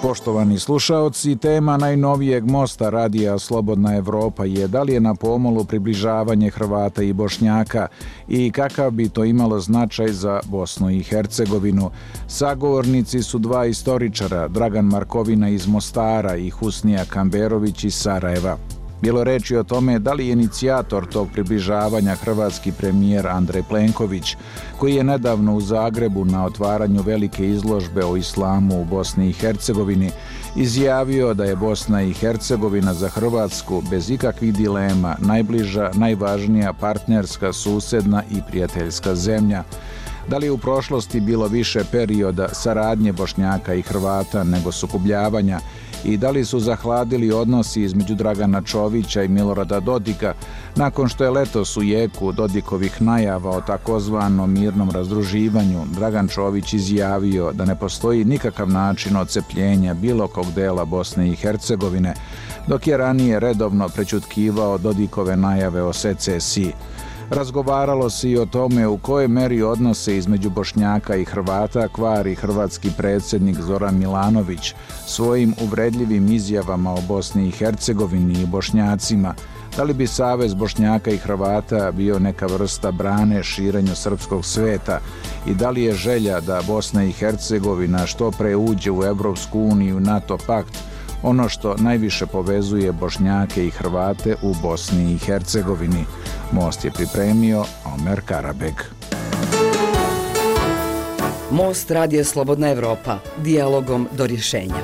Poštovani slušaoci, tema najnovijeg mosta Radija Slobodna Evropa je da li je na pomolu približavanje Hrvata i Bošnjaka i kakav bi to imalo značaj za Bosnu i Hercegovinu. Sagovornici su 2 istoričara, Dragan Markovina iz Mostara i Husnija Kamberović iz Sarajeva. Bilo reči o tome da li je inicijator tog približavanja hrvatski premijer Andrej Plenković, koji je nedavno u Zagrebu na otvaranju velike izložbe o islamu u Bosni i Hercegovini izjavio da je Bosna i Hercegovina za Hrvatsku bez ikakvih dilema najbliža, najvažnija partnerska, susedna i prijateljska zemlja. Da li je u prošlosti bilo više perioda saradnje Bošnjaka i Hrvata nego sukobljavanja i da li su zahladili odnosi između Dragana Čovića i Milorada Dodika nakon što je letos u jeku Dodikovih najava o takozvanom mirnom razdruživanju Dragan Čović izjavio da ne postoji nikakav način odcepljenja bilo kog dela Bosne i Hercegovine, dok je ranije redovno prećutkivao Dodikove najave o secesiji. Razgovaralo se i o tome u kojoj meri odnose između Bošnjaka i Hrvata kvari hrvatski predsjednik Zoran Milanović svojim uvredljivim izjavama o Bosni i Hercegovini i Bošnjacima. Da li bi Savez Bošnjaka i Hrvata bio neka vrsta brane širenju srpskog sveta i da li je želja da Bosna i Hercegovina što pre uđe u Evropsku uniju, NATO pakt, ono što najviše povezuje Bošnjake i Hrvate u Bosni i Hercegovini. Most je pripremio Omer Karabeg. Most Radija Slobodna Evropa. Dijalogom do rješenja.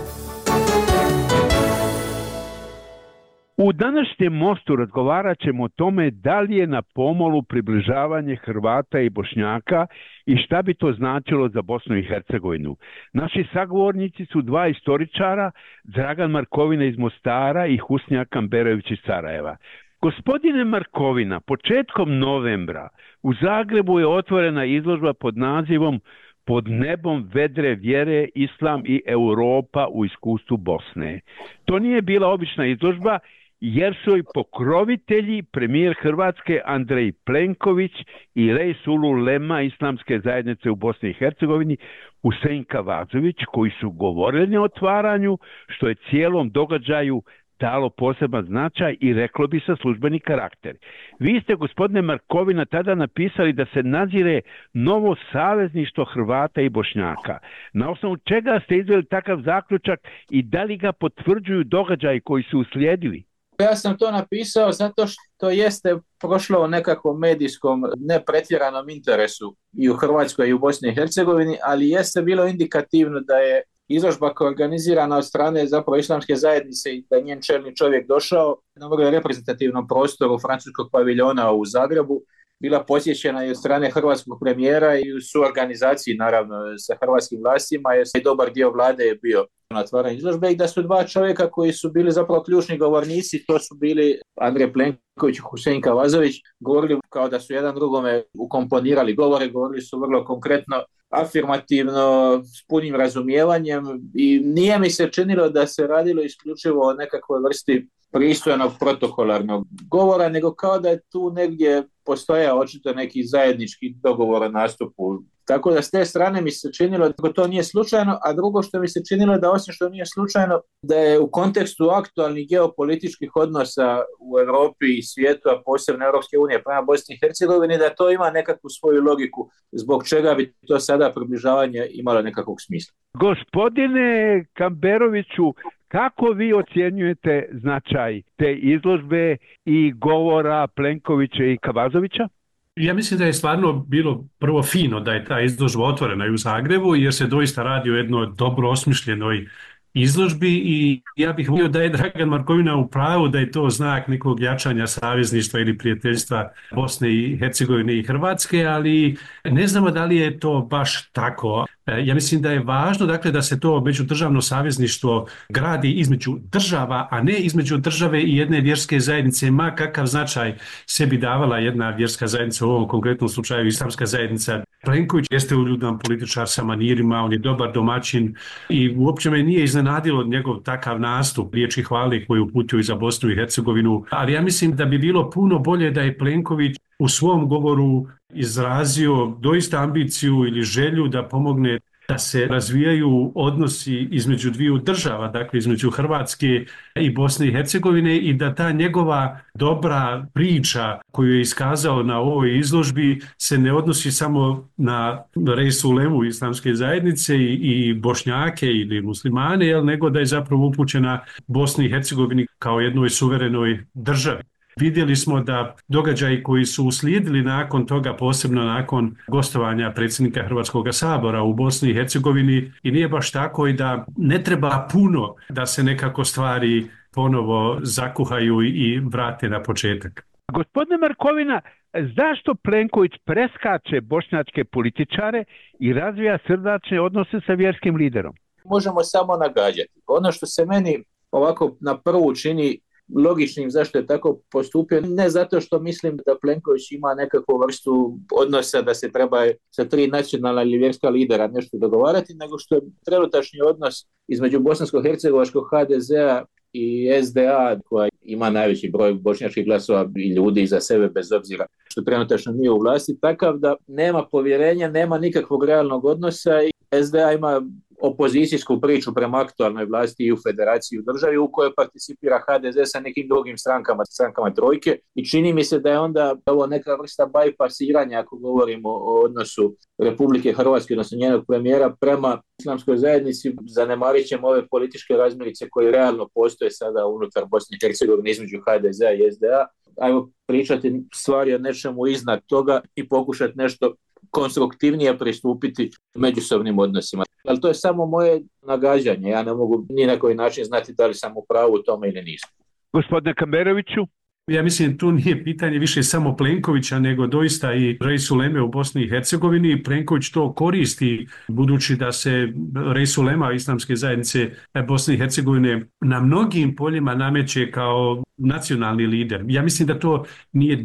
U današnjem mostu razgovarat ćemo o tome da li je na pomolu približavanje Hrvata i Bošnjaka i šta bi to značilo za Bosnu i Hercegovinu. Naši sagovornici su 2 istoričara, Dragan Markovina iz Mostara i Husnija Kamberović iz Sarajeva. Gospodine Markovina, početkom novembra u Zagrebu je otvorena izložba pod nazivom Pod nebom vedre vjere, Islam i Europa u iskustvu Bosne. To nije bila obična izložba jer su i pokrovitelji premijer Hrvatske Andrej Plenković i Reis Ulema Islamske zajednice u Bosni i Hercegovini Husein Kavazović, koji su govorili na otvaranju, što je cijelom događaju dalo poseban značaj i reklo bi se službeni karakter. Vi ste, gospodine Markovina, tada napisali da se nadzire novo savezništvo Hrvata i Bošnjaka. Na osnovu čega ste izveli takav zaključak i da li ga potvrđuju događaji koji su uslijedili? Ja sam to napisao zato što jeste prošlo u nekakvom medijskom nepretjeranom interesu i u Hrvatskoj i u Bosni i Hercegovini, ali jeste bilo indikativno da je izložba koja je organizirana od strane zapravo islamske zajednice i da je njen čelni čovjek došao na vrlo reprezentativnom prostoru francuskog paviljona u Zagrebu, bila posjećena i od strane hrvatskog premijera i u suorganizaciji naravno sa hrvatskim vlastima, jer i dobar dio vlade je bio na otvaranju izložbe i da su 2 čovjeka koji su bili zapravo ključni govornici, to su bili Andrej Plenković i Husein Kavazović, govorili kao da su jedan drugome ukomponirali govore, govorili su vrlo konkretno, afirmativno, s punim razumijevanjem i nije mi se činilo da se radilo isključivo o nekakvoj vrsti pristojnog protokolarnog govora, nego kao da je tu negdje postojao očito neki zajednički dogovor o nastupu Tako da s te strane mi se činilo da to nije slučajno, a drugo što mi se činilo da osim što nije slučajno, da je u kontekstu aktualnih geopolitičkih odnosa u Europi i svijetu, a posebno Europske unije prema Bosni i Hercegovini, da to ima nekakvu svoju logiku zbog čega bi to sada približavanje imalo nekakvog smisla. Gospodine Kamberoviću, kako vi ocjenjujete značaj te izložbe i govora Plenkovića i Kavazovića? Ja mislim da je stvarno bilo prvo fino da je ta izložba otvorena i u Zagrebu, jer se doista radi o jednoj dobro osmišljenoj izložbi i ja bih volio da je Dragan Markovina u pravu da je to znak nekog jačanja savezništva ili prijateljstva Bosne i Hercegovine i Hrvatske, ali ne znamo da li je to baš tako. Ja mislim da je važno dakle, da se to međudržavno savezništvo gradi između država, a ne između države i jedne vjerske zajednice, ma kakav značaj sebi davala jedna vjerska zajednica, u ovom konkretnom slučaju islamska zajednica. Plenković jeste uljudan političar sa manirima, on je dobar domaćin i uopće me nije iznenadilo njegov takav nastup, riječi hvale koju uputio i za Bosnu i Hercegovinu, ali ja mislim da bi bilo puno bolje da je Plenković u svom govoru izrazio doista ambiciju ili želju da pomogne da se razvijaju odnosi između dviju država, dakle između Hrvatske i Bosne i Hercegovine i da ta njegova dobra priča koju je iskazao na ovoj izložbi se ne odnosi samo na Resulemu islamske zajednice i Bošnjake ili muslimane, nego da je zapravo upućena Bosni i Hercegovini kao jednoj suverenoj državi. Vidjeli smo da događaji koji su uslijedili nakon toga, posebno nakon gostovanja predsjednika Hrvatskog sabora u Bosni i Hercegovini, i nije baš tako i da ne treba puno da se nekako stvari ponovo zakuhaju i vrate na početak. Gospodine Markovina, zašto Plenković preskače bošnjačke političare i razvija srdačne odnose sa vjerskim liderom? Možemo samo nagađati. Ono što se meni ovako na prvu čini logičnim zašto je tako postupio, ne zato što mislim da Plenković ima nekakvu vrstu odnosa da se treba sa 3 nacionalna ili vjerska lidera nešto dogovarati, nego što je trenutačni odnos između bosansko-hercegovačkog HDZ-a i SDA, koja ima najveći broj bošnjačkih glasova i ljudi iza sebe bez obzira što trenutačno nije u vlasti, takav da nema povjerenja, nema nikakvog realnog odnosa i SDA ima opozicijsku priču prema aktualnoj vlasti i u federaciji u državi u kojoj participira HDZ sa nekim drugim strankama trojke i čini mi se da je onda ovo neka vrsta bajpasiranja ako govorimo o odnosu Republike Hrvatske, odnosno njenog premijera prema islamskoj zajednici, zanemarit ćemo ove političke razmirice koje realno postoje sada unutar Bosne i Hercegovine između HDZ-a i SDA. Ajmo pričati stvari o nečemu iznad toga i pokušati nešto konstruktivnije pristupiti međusobnim odnosima. Ali to je samo moje nagađanje. Ja ne mogu ni na koji način znati da li sam u pravu u tome ili nisam. Gospodine Kamberoviću? Ja mislim tu nije pitanje više samo Plenkovića, nego doista i Resuleme u Bosni i Hercegovini. Plenković to koristi budući da se Resulema islamske zajednice Bosne i Hercegovine na mnogim poljima nameće kao nacionalni lider. Ja mislim da to nije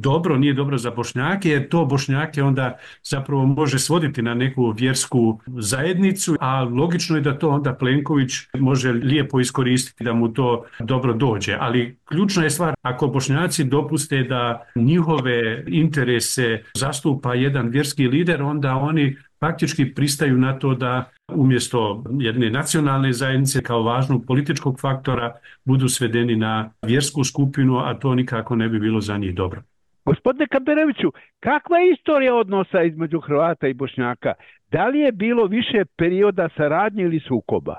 dobro za Bošnjake, jer to Bošnjake onda zapravo može svoditi na neku vjersku zajednicu, a logično je da to onda Plenković može lijepo iskoristiti da mu to dobro dođe. Ali ključna je stvar, ako Bošnjaci dopuste da njihove interese zastupa jedan vjerski lider, onda oni faktički pristaju na to da umjesto jedne nacionalne zajednice kao važnog političkog faktora budu svedeni na vjersku skupinu, a to nikako ne bi bilo za njih dobro. Gospodine Kamberoviću, kakva je istorija odnosa između Hrvata i Bošnjaka? Da li je bilo više perioda saradnje ili sukoba?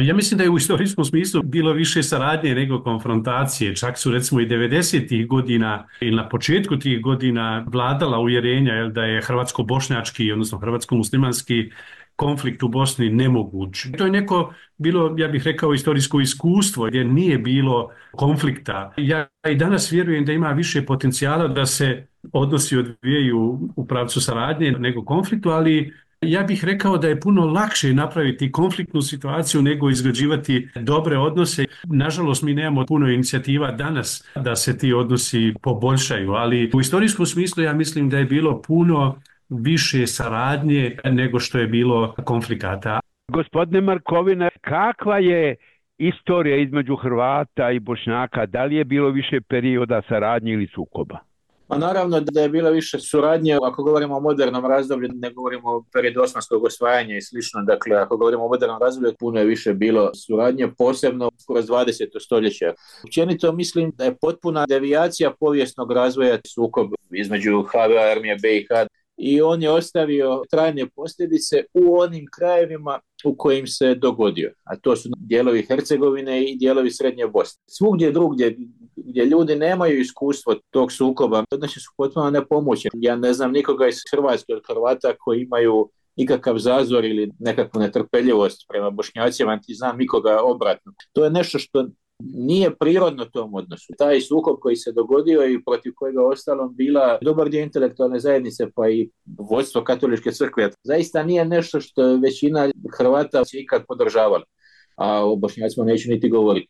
Ja mislim da je u istorijskom smislu bilo više saradnje nego konfrontacije. Čak su recimo i 90-ih godina ili na početku tih godina vladala uvjerenja da je hrvatsko-bošnjački, odnosno hrvatsko-muslimanski konflikt u Bosni nemoguć. To je neko bilo, ja bih rekao, istorijsko iskustvo gdje nije bilo konflikta. Ja i danas vjerujem da ima više potencijala da se odnosi odvijaju u pravcu saradnje nego konfliktu, ali ja bih rekao da je puno lakše napraviti konfliktnu situaciju nego izgrađivati dobre odnose. Nažalost, mi nemamo puno inicijativa danas da se ti odnosi poboljšaju, ali u istorijskom smislu ja mislim da je bilo puno više saradnje nego što je bilo konflikata. Gospodine Markovina, kakva je istorija između Hrvata i Bošnjaka? Da li je bilo više perioda saradnje ili sukoba? Pa naravno da je bilo više suradnje, ako govorimo o modernom razdoblju, ne govorimo o periodu osmanskog osvajanja i slično, dakle ako govorimo o modernom razdoblju, puno je više bilo suradnje, posebno kroz 20. stoljeća. Općenito mislim da je potpuna devijacija povijesnog razvoja sukob između HVA armije BiH i on je ostavio trajne posljedice u onim krajevima u kojim se dogodio, a to su dijelovi Hercegovine i dijelovi Srednje Bosne. Svugdje drugdje gdje ljudi nemaju iskustvo tog sukoba, znači su potpuno nepomoćni. Ja ne znam nikoga iz Hrvatske od Hrvata koji imaju ikakav zazor ili nekakvu netrpeljivost prema Bošnjacima, niti znam nikoga obratno. To je nešto što nije prirodno tom odnosu. Taj sukob koji se dogodio i protiv kojega ostalom bila dobar dio intelektualne zajednice pa i vodstvo katoličke crkve, zaista nije nešto što većina Hrvata se ikad podržavala, a o Bošnjacima neću niti govoriti.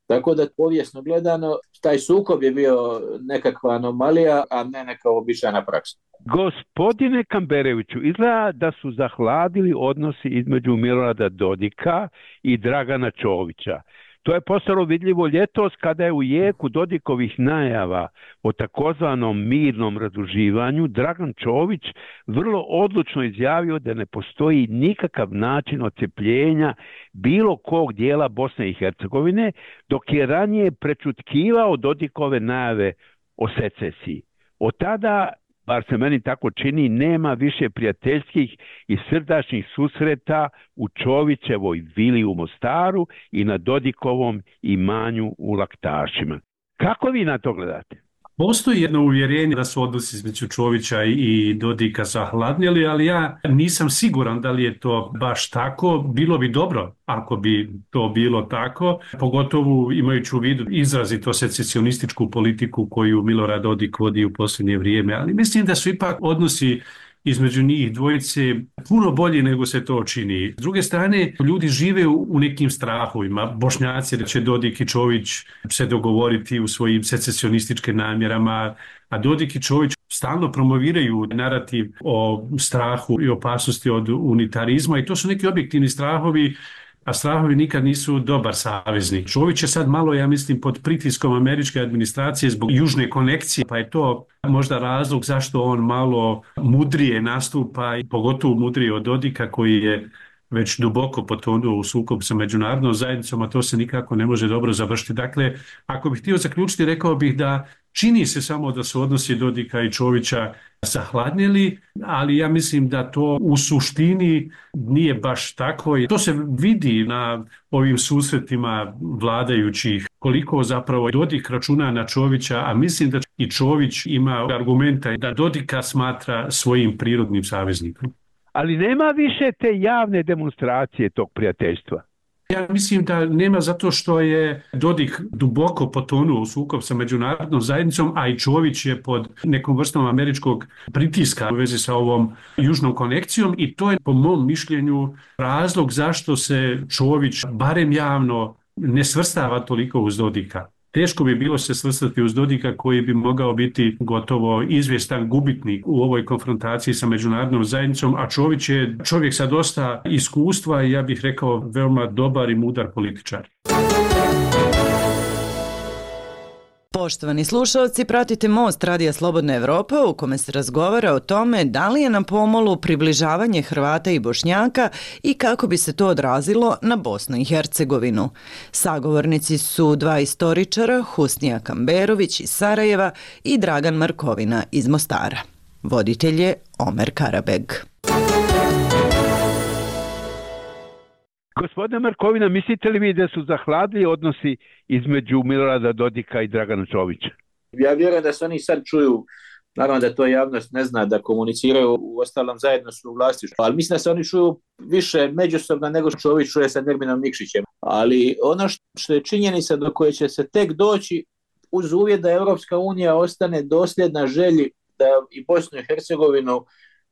Tako da povijesno gledano, taj sukob je bio nekakva anomalija, a ne neka običajna praksa. Gospodine Kambereviću, izgleda da su zahladili odnosi između Milorada Dodika i Dragana Čovića. To je postalo vidljivo ljetos kada je u jeku Dodikovih najava o takozvanom mirnom raduživanju Dragan Čović vrlo odlučno izjavio da ne postoji nikakav način odcepljenja bilo kog dijela Bosne i Hercegovine, dok je ranije prečutkivao Dodikove najave o secesiji. Od tada, bar se meni tako čini, nema više prijateljskih i srdačnih susreta u Čovićevoj vili u Mostaru i na Dodikovom imanju u Laktašima. Kako vi na to gledate? Postoji jedno uvjerenje da su odnosi između Čovića i Dodika zahladnjeli, ali ja nisam siguran da li je to baš tako. Bilo bi dobro ako bi to bilo tako, pogotovo imajući u vidu izrazito secesionističku politiku koju Milorad Dodik vodi u posljednje vrijeme, ali mislim da su ipak odnosi između njih dvojice puno bolji nego se to čini. S druge strane, ljudi žive u nekim strahovima. Bošnjaci da će Dodik i Čović se dogovoriti u svojim secesionističkim namjerama, a Dodik i Čović stalno promoviraju narativ o strahu i opasnosti od unitarizma i to su neki objektivni strahovi, a strahovi nikad nisu dobar saveznik. Čović je sad malo, ja mislim, pod pritiskom američke administracije zbog južne konekcije, pa je to možda razlog zašto on malo mudrije nastupa, i pogotovo mudrije od Dodika koji je već duboko potonuo u sukob sa međunarodnom zajednicom, a to se nikako ne može dobro završiti. Dakle, ako bih htio zaključiti, rekao bih da čini se samo da su odnosi Dodika i Čovića zahladnjeli, ali ja mislim da to u suštini nije baš tako. To se vidi na ovim susretima vladajućih, koliko zapravo Dodik računa na Čovića, a mislim da i Čović ima argumenta da Dodika smatra svojim prirodnim saveznikom. Ali nema više te javne demonstracije tog prijateljstva. Ja mislim da nema zato što je Dodik duboko potonuo u sukob sa međunarodnom zajednicom, a i Čović je pod nekom vrstom američkog pritiska u vezi sa ovom južnom konekcijom i to je po mom mišljenju razlog zašto se Čović barem javno ne svrstava toliko uz Dodika. Teško bi bilo se svrstati uz Dodika koji bi mogao biti gotovo izvjestan gubitnik u ovoj konfrontaciji sa međunarodnom zajednicom, a Čović je čovjek sa dosta iskustva i ja bih rekao veoma dobar i mudar političar. Poštovani slušalci, pratite Most Radija Slobodna Evropa u kome se razgovara o tome da li je na pomolu približavanje Hrvata i Bošnjaka i kako bi se to odrazilo na Bosnu i Hercegovinu. Sagovornici su dva istoričara, Husnija Kamberović iz Sarajeva i Dragan Markovina iz Mostara. Voditelj je Omer Karabeg. Gospodine Markovina, mislite li vi da su zahladili odnosi između Milorada Dodika i Dragana Čovića? Ja vjerujem da se oni sad čuju, naravno da to javnost ne zna, da komuniciraju, u ostalom zajedno su u vlasništvu, ali mislim da se oni čuju više međusobno nego što Čović čuje sa Nerminom Nikšićem. Ali ono što je činjenica do koje će se tek doći uz uvjet da Europska unija ostane dosljedna želji da i Bosnu i Hercegovinu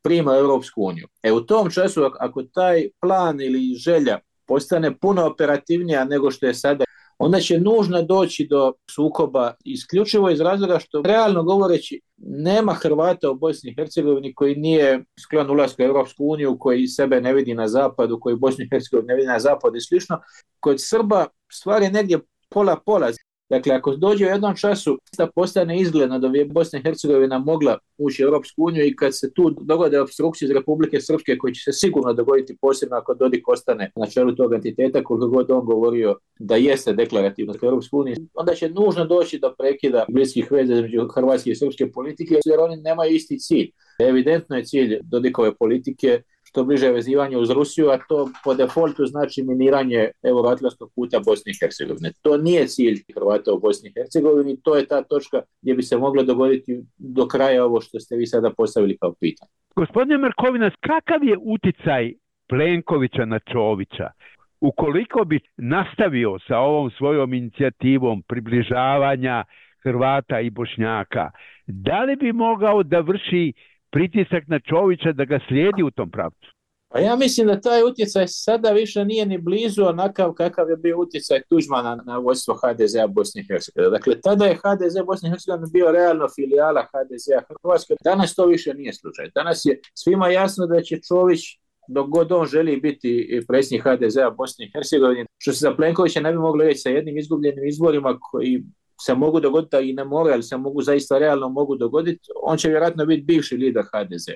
prima Europsku uniju. U tom času, ako taj plan ili želja postane puno operativnija nego što je sada, onda će nužno doći do sukoba isključivo iz razloga što, realno govoreći, nema Hrvata u Bosni i Hercegovini koji nije sklon ulasku u Europsku uniju, koji sebe ne vidi na zapadu, koji Bosnu i Hercegovini ne vidi na zapadu i slično. Kod Srba stvar je negdje pola-pola. Dakle, ako dođe u jednom času da postane izgledno da bi Bosna i Hercegovina mogla ući u Europsku uniju i kad se tu dogode opstrukcije iz Republike Srpske koji će se sigurno dogoditi posebno ako Dodik ostane na čelu tog entiteta koliko god on govorio da jeste deklarativno u Europsku uniju, onda će nužno doći do prekida bliskih veza između hrvatske i srpske politike jer oni nemaju isti cilj. Evidentno je cilj Dodikove politike što bliže vezivanje uz Rusiju, a to po defaultu znači miniranje euroatlantskog puta Bosne i Hercegovine. To nije cilj Hrvata u Bosni i Hercegovini, to je ta točka gdje bi se moglo dogoditi do kraja ovo što ste vi sada postavili kao pitanje. Gospodine Markovinac, kakav je uticaj Plenkovića na Čovića? Ukoliko bi nastavio sa ovom svojom inicijativom približavanja Hrvata i Bošnjaka, da li bi mogao da vrši pritisak na Čovića da ga slijedi u tom pravcu? Pa ja mislim da taj utjecaj sada više nije ni blizu onakav kakav je bio utjecaj Tuđmana na vodstvo HDZ-a Bosne i Hercegovine. Dakle, tada je HDZ Bosne i Hercegovine bio realno filijala HDZ-a Hrvatske. Danas to više nije slučaj. Danas je svima jasno da će Čović, dok god on želi biti predsjednik HDZ-a Bosne i Hercegovine, što se za Plenkovića ne bi moglo reći sa jednim izgubljenim izborima koji se mogu dogoditi, a i ne moraju, ali se mogu zaista realno mogu dogoditi, on će vjerojatno biti bivši lider HDZ.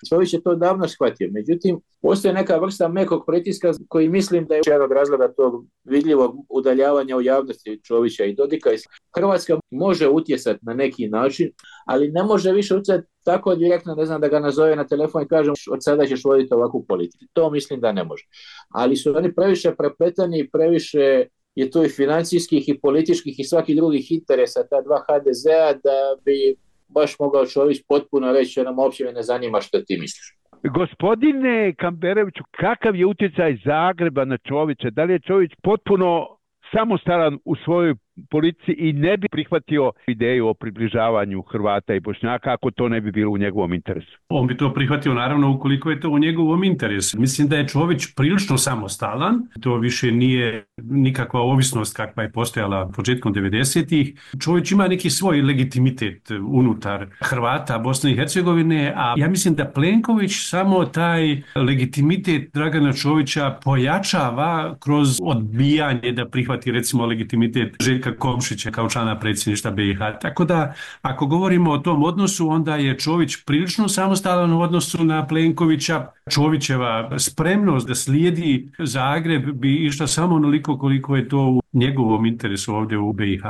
Čović je to davno shvatio. Međutim, postoje neka vrsta mekog pritiska koji mislim da je jednog razloga tog vidljivog udaljavanja u javnosti Čovića i Dodika. Hrvatska može utjecati na neki način, ali ne može više utjecati tako direktno, ne znam, da ga nazove na telefon i kažem od sada ćeš voditi ovakvu politiku. To mislim da ne može. Ali su oni previše prepletani i previše je tu i financijskih i političkih i svakih drugih interesa ta dva HDZ-a da bi baš mogao Čović potpuno reći nam uopće me ne zanima što ti misliš. Gospodine Kambereviću, kakav je utjecaj Zagreba na Čovića? Da li je Čović potpuno samostalan u svojoj politici i ne bi prihvatio ideju o približavanju Hrvata i Bošnjaka ako to ne bi bilo u njegovom interesu? On bi to prihvatio naravno ukoliko je to u njegovom interesu. Mislim da je Čović prilično samostalan. To više nije nikakva ovisnost kakva je postojala početkom 90-ih. Čović ima neki svoj legitimitet unutar Hrvata Bosne i Hercegovine, a ja mislim da Plenković samo taj legitimitet Dragana Čovića pojačava kroz odbijanje da prihvati recimo legitimitet Željka Komšića kao člana predsjedništva BiH. Tako da, ako govorimo o tom odnosu, onda je Čović prilično samostalan u odnosu na Plenkovića. Čovićeva spremnost da slijedi Zagreb bi išla samo onoliko koliko je to u njegovom interesu ovdje u BiH.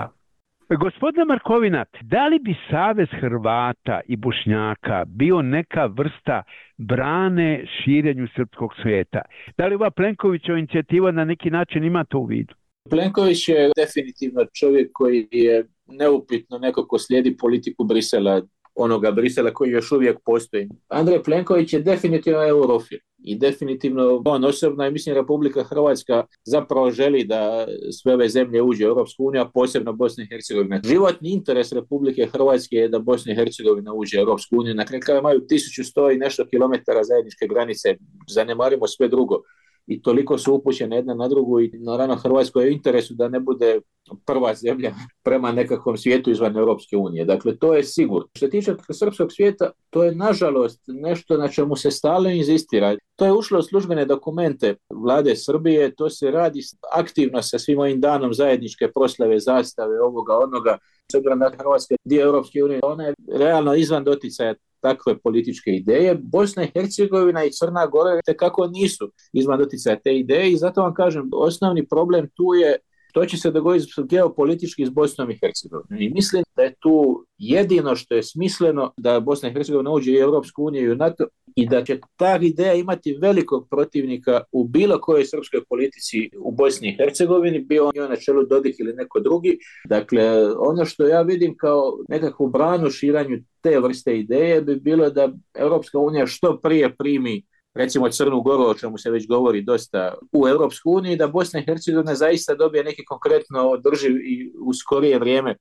Gospodine Markovina, da li bi Savez Hrvata i Bošnjaka bio neka vrsta brane širenju srpskog svijeta? Da li ova Plenkovićeva inicijativa na neki način ima to u vidu? Plenković je definitivno čovjek koji je neupitno neko ko slijedi politiku Brisela, onoga Brisela koji još uvijek postoji. Andrej Plenković je definitivno eurofil i definitivno on osobno i mislim Republika Hrvatska zapravo želi da sve ove zemlje uđe u Europsku uniju, a posebno Bosna i Hercegovina. Životni interes Republike Hrvatske je da Bosna i Hercegovina uđe u Europsku uniju. Na kraju imaju 1100 i nešto kilometara zajedničke granice, zanemarimo sve drugo. I toliko su upućene jedna na drugu i naravno Hrvatskoj je u interesu da ne bude prva zemlja prema nekakvom svijetu izvan Europske unije. Dakle, to je sigurno. Što se tiče srpskog svijeta, to je nažalost nešto na čemu se stalno inzistira. To je ušlo u službene dokumente vlade Srbije, to se radi aktivno sa svim ovim danom zajedničke proslave, zastave, ovoga, onoga. S obzirom da Hrvatska dio Europske unije, ona je realno izvan doticaja takve političke ideje. Bosna i Hercegovina i Crna Gora tekako nisu izvan doticaja te ideje i zato vam kažem, osnovni problem tu je što će se dogoditi geopolitički s Bosnom i Hercegovinom. I mislim da je tu jedino što je smisleno da Bosna i Hercegovina uđe i u Europsku uniju i u NATO i da će ta ideja imati velikog protivnika u bilo kojoj srpskoj politici u Bosni i Hercegovini, bio on na čelu Dodik ili neko drugi. Dakle, ono što ja vidim kao nekakvu branu širanju te vrste ideje bi bilo da Europska unija što prije primi recimo Crnu Goru, o čemu se već govori dosta, u Europsku uniju, da Bosna i Hercegovina zaista dobije neki konkretno održiv i u skorije vrijeme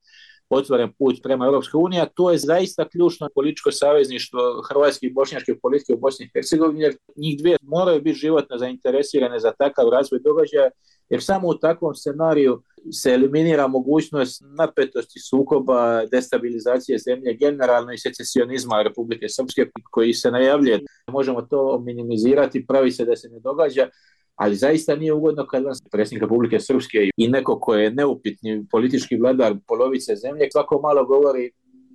otvoren put prema Europskoj uniji, a to je zaista ključno političko savezništvo hrvatske i bošnjačke politike u Bosni i Hercegovini, jer njih dvije moraju biti životno zainteresirane za takav razvoj događaja, jer samo u takvom scenariju se eliminira mogućnost napetosti, sukoba, destabilizacije zemlje, generalno i secesionizma Republike Srpske koji se najavljuje. Možemo to minimizirati, pravi se da se ne događa, Ali zaista nije ugodno kad vam predsjednik Republike Srpske i neko ko je neupitni politički vladar polovice zemlje svako malo govori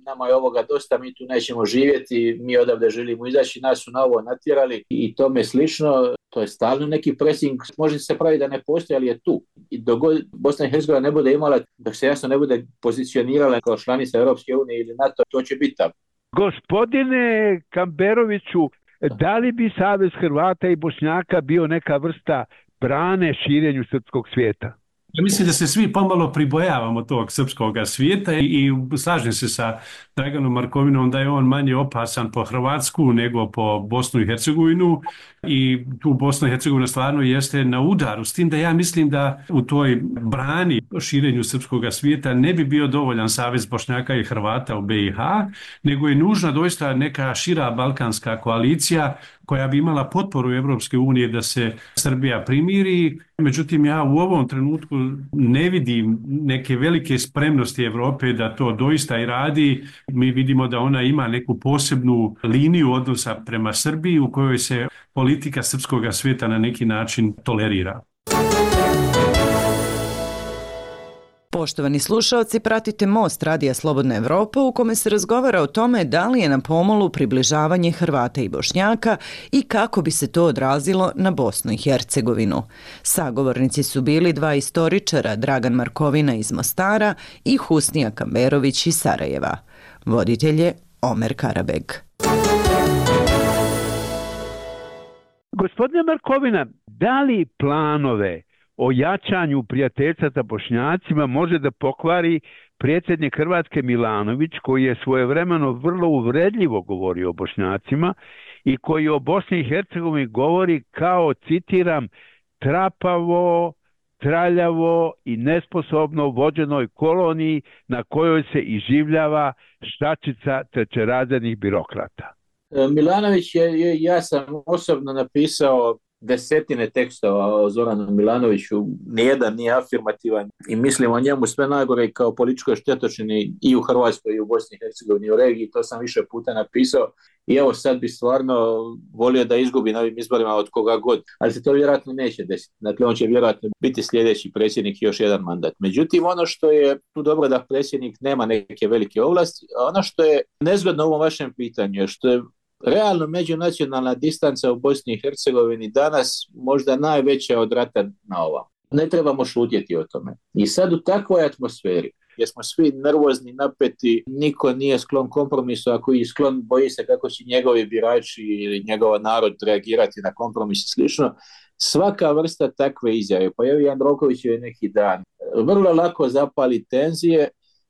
nama je ovoga dosta, mi tu nećemo živjeti, mi odavde želimo izaći, nas su na ovo natjerali i tome slično. To je stalno neki pressing, može se pravi da ne postoji, ali je tu. I dok Bosna i Hercegovina ne bude imala, dok se jasno ne bude pozicionirala kao članica Europske unije ili NATO, to će biti tamo. Gospodine Kamberoviću, da li bi Savez Hrvata i Bošnjaka bio neka vrsta brane širenju srpskog svijeta? Ja mislim da se svi pomalo pribojavamo tog srpskog svijeta i slažem se sa Draganom Markovinom da je on manje opasan po Hrvatsku nego po Bosnu i Hercegovinu i tu Bosna i Hercegovina stvarno jeste na udaru, s tim da ja mislim da u toj brani širenju srpskog svijeta ne bi bio dovoljan Savez Bošnjaka i Hrvata u BiH, nego je nužna doista neka šira balkanska koalicija koja bi imala potporu Europske unije da se Srbija primiri. Međutim, ja u ovom trenutku ne vidim neke velike spremnosti Europe da to doista i radi. Mi vidimo da ona ima neku posebnu liniju odnosa prema Srbiji u kojoj se politika srpskog svijeta na neki način tolerira. Poštovani slušaoci, pratite Most Radija Slobodna Evropa u kome se razgovara o tome da li je na pomolu približavanje Hrvata i Bošnjaka i kako bi se to odrazilo na Bosnu i Hercegovinu. Sagovornici su bili dva istoričara, Dragan Markovina iz Mostara i Husnija Kamberović iz Sarajeva. Voditelj je Omer Karabeg. Gospodine Markovina, da li planove o jačanju prijateljstva sa Bošnjacima može da pokvari predsjednik Hrvatske Milanović, koji je svojevremeno vrlo uvredljivo govorio o Bošnjacima i koji o Bosni i Hercegovini govori kao, citiram, trapavo, traljavo i nesposobno vođenoj koloniji na kojoj se iživljava štačica trećerazrednih birokrata. Milanović ja sam osobno napisao desetine tekstova o Zoranu Milanoviću, nijedan nije afirmativan i mislim o njemu sve najgore kao političkoj štetočini i u Hrvatskoj i u Bosni i Hercegovini i u regiji, to sam više puta napisao i evo sad bi stvarno volio da izgubi na ovim izborima od koga god, ali se to vjerojatno neće desiti. Dakle, on će vjerojatno biti sljedeći predsjednik još jedan mandat. Međutim, ono što je tu dobro da predsjednik nema neke velike ovlasti, a ono što je nezgodno u ovom vašem pitanju je što je realno međunacionalna distanca u Bosni i Hercegovini danas možda najveća od rata na ovam. Ne trebamo šutjeti o tome. I sad u takvoj atmosferi, gdje smo svi nervozni, napeti, niko nije sklon kompromisu, ako je sklon boji se kako će njegovi birači ili njegov narod reagirati na kompromis i slično, svaka vrsta takve izjave, pa evo Jandroković je neki dan, vrlo lako zapali tenzije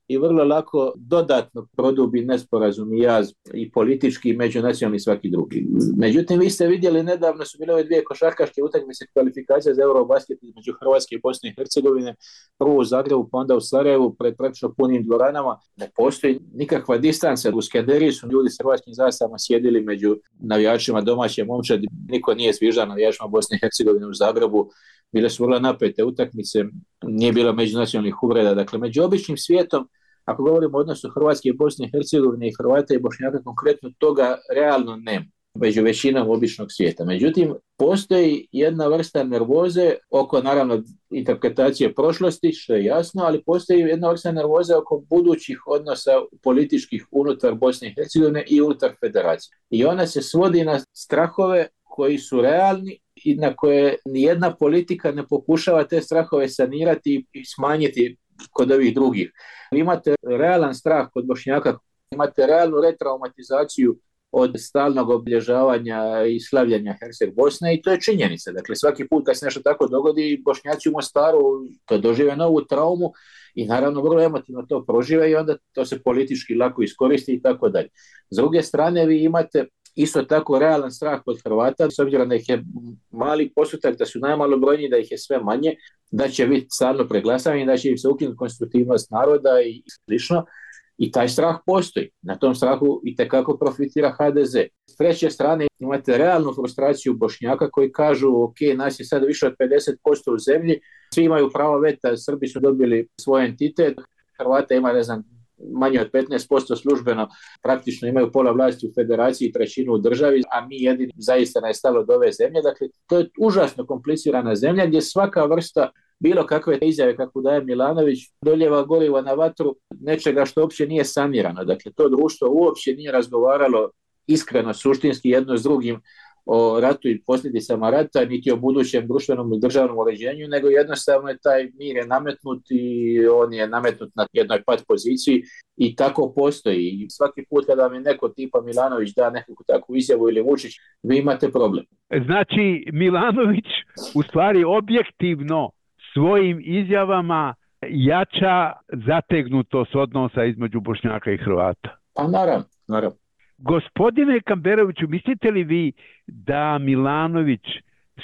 i vrlo lako dodatno produbi nesporazum i jaz i politički i međunacionalni i svaki drugi. Međutim, vi ste vidjeli, nedavno su bile ove dvije košarkaške utakmice kvalifikacije za Eurobasket između Hrvatske i Bosne i Hercegovine, prvo u Zagrebu, pa onda u Sarajevu, pred praktično punim dvoranama. Ne postoji nikakva distanca. U Skenderiji su ljudi s hrvatskim zastavama sjedili među navijačima domaće momčadi. Niko nije zviždao navijačima Bosne i Hercegovine u Zagrebu. Bile su vrlo napete utakmice, nije bilo međunacionalnih uvreda. Dakle, među običnim svijetom, ako govorimo o odnosu Hrvatske i Bosne i Hercegovine i Hrvata i Bošnjaka, konkretno toga realno nema među većinom običnog svijeta. Međutim, postoji jedna vrsta nervoze oko, naravno, interpretacije prošlosti, što je jasno, ali postoji jedna vrsta nervoze oko budućih odnosa političkih unutar Bosne i Hercegovine i unutar federacije. I ona se svodi na strahove koji su realni i na koje nijedna politika ne pokušava te strahove sanirati i smanjiti kod ovih drugih. Imate realan strah kod Bošnjaka, imate realnu retraumatizaciju od stalnog obilježavanja i slavljanja Herceg Bosne i to je činjenica. Dakle, svaki put kad se nešto tako dogodi, Bošnjaci u Mostaru to dožive novu traumu i naravno vrlo emotivno to prožive i onda to se politički lako iskoristi i tako dalje. S druge strane, vi imate isto tako realan strah kod Hrvata, s obzirom da ih je mali postotak, da su najmalobrojniji, da ih je sve manje, da će biti stalno preglasavanje, da će im se ukinuti konstitutivnost naroda i slično. I taj strah postoji. Na tom strahu itekako profitira HDZ. S treće strane imate realnu frustraciju Bošnjaka koji kažu ok, nas je sad više od 50% u zemlji, svi imaju pravo veta, Srbi su dobili svoj entitet, Hrvata ima, ne znam, manje od 15% službeno, praktično imaju pola vlasti u federaciji i trećinu u državi, a mi jedini zaista ne stalo od ove zemlje. Dakle, to je užasno komplicirana zemlja gdje svaka vrsta bilo kakve izjave kako daje Milanović doljeva goriva na vatru nečega što uopće nije sanirano. Dakle, to društvo uopće nije razgovaralo iskreno, suštinski jedno s drugim o ratu i posljedicama rata, niti o budućem društvenom i državnom uređenju, nego jednostavno je taj mir je nametnut i on je nametnut na jednoj pat poziciji i tako postoji. I svaki put kada vam je neko tipa Milanović da nekakvu takvu izjavu ili Vučić, vi imate problem. Znači, Milanović u stvari objektivno svojim izjavama jača zategnutost odnosa između Bošnjaka i Hrvata. Pa naravno. Gospodine Kamberoviću, mislite li vi da Milanović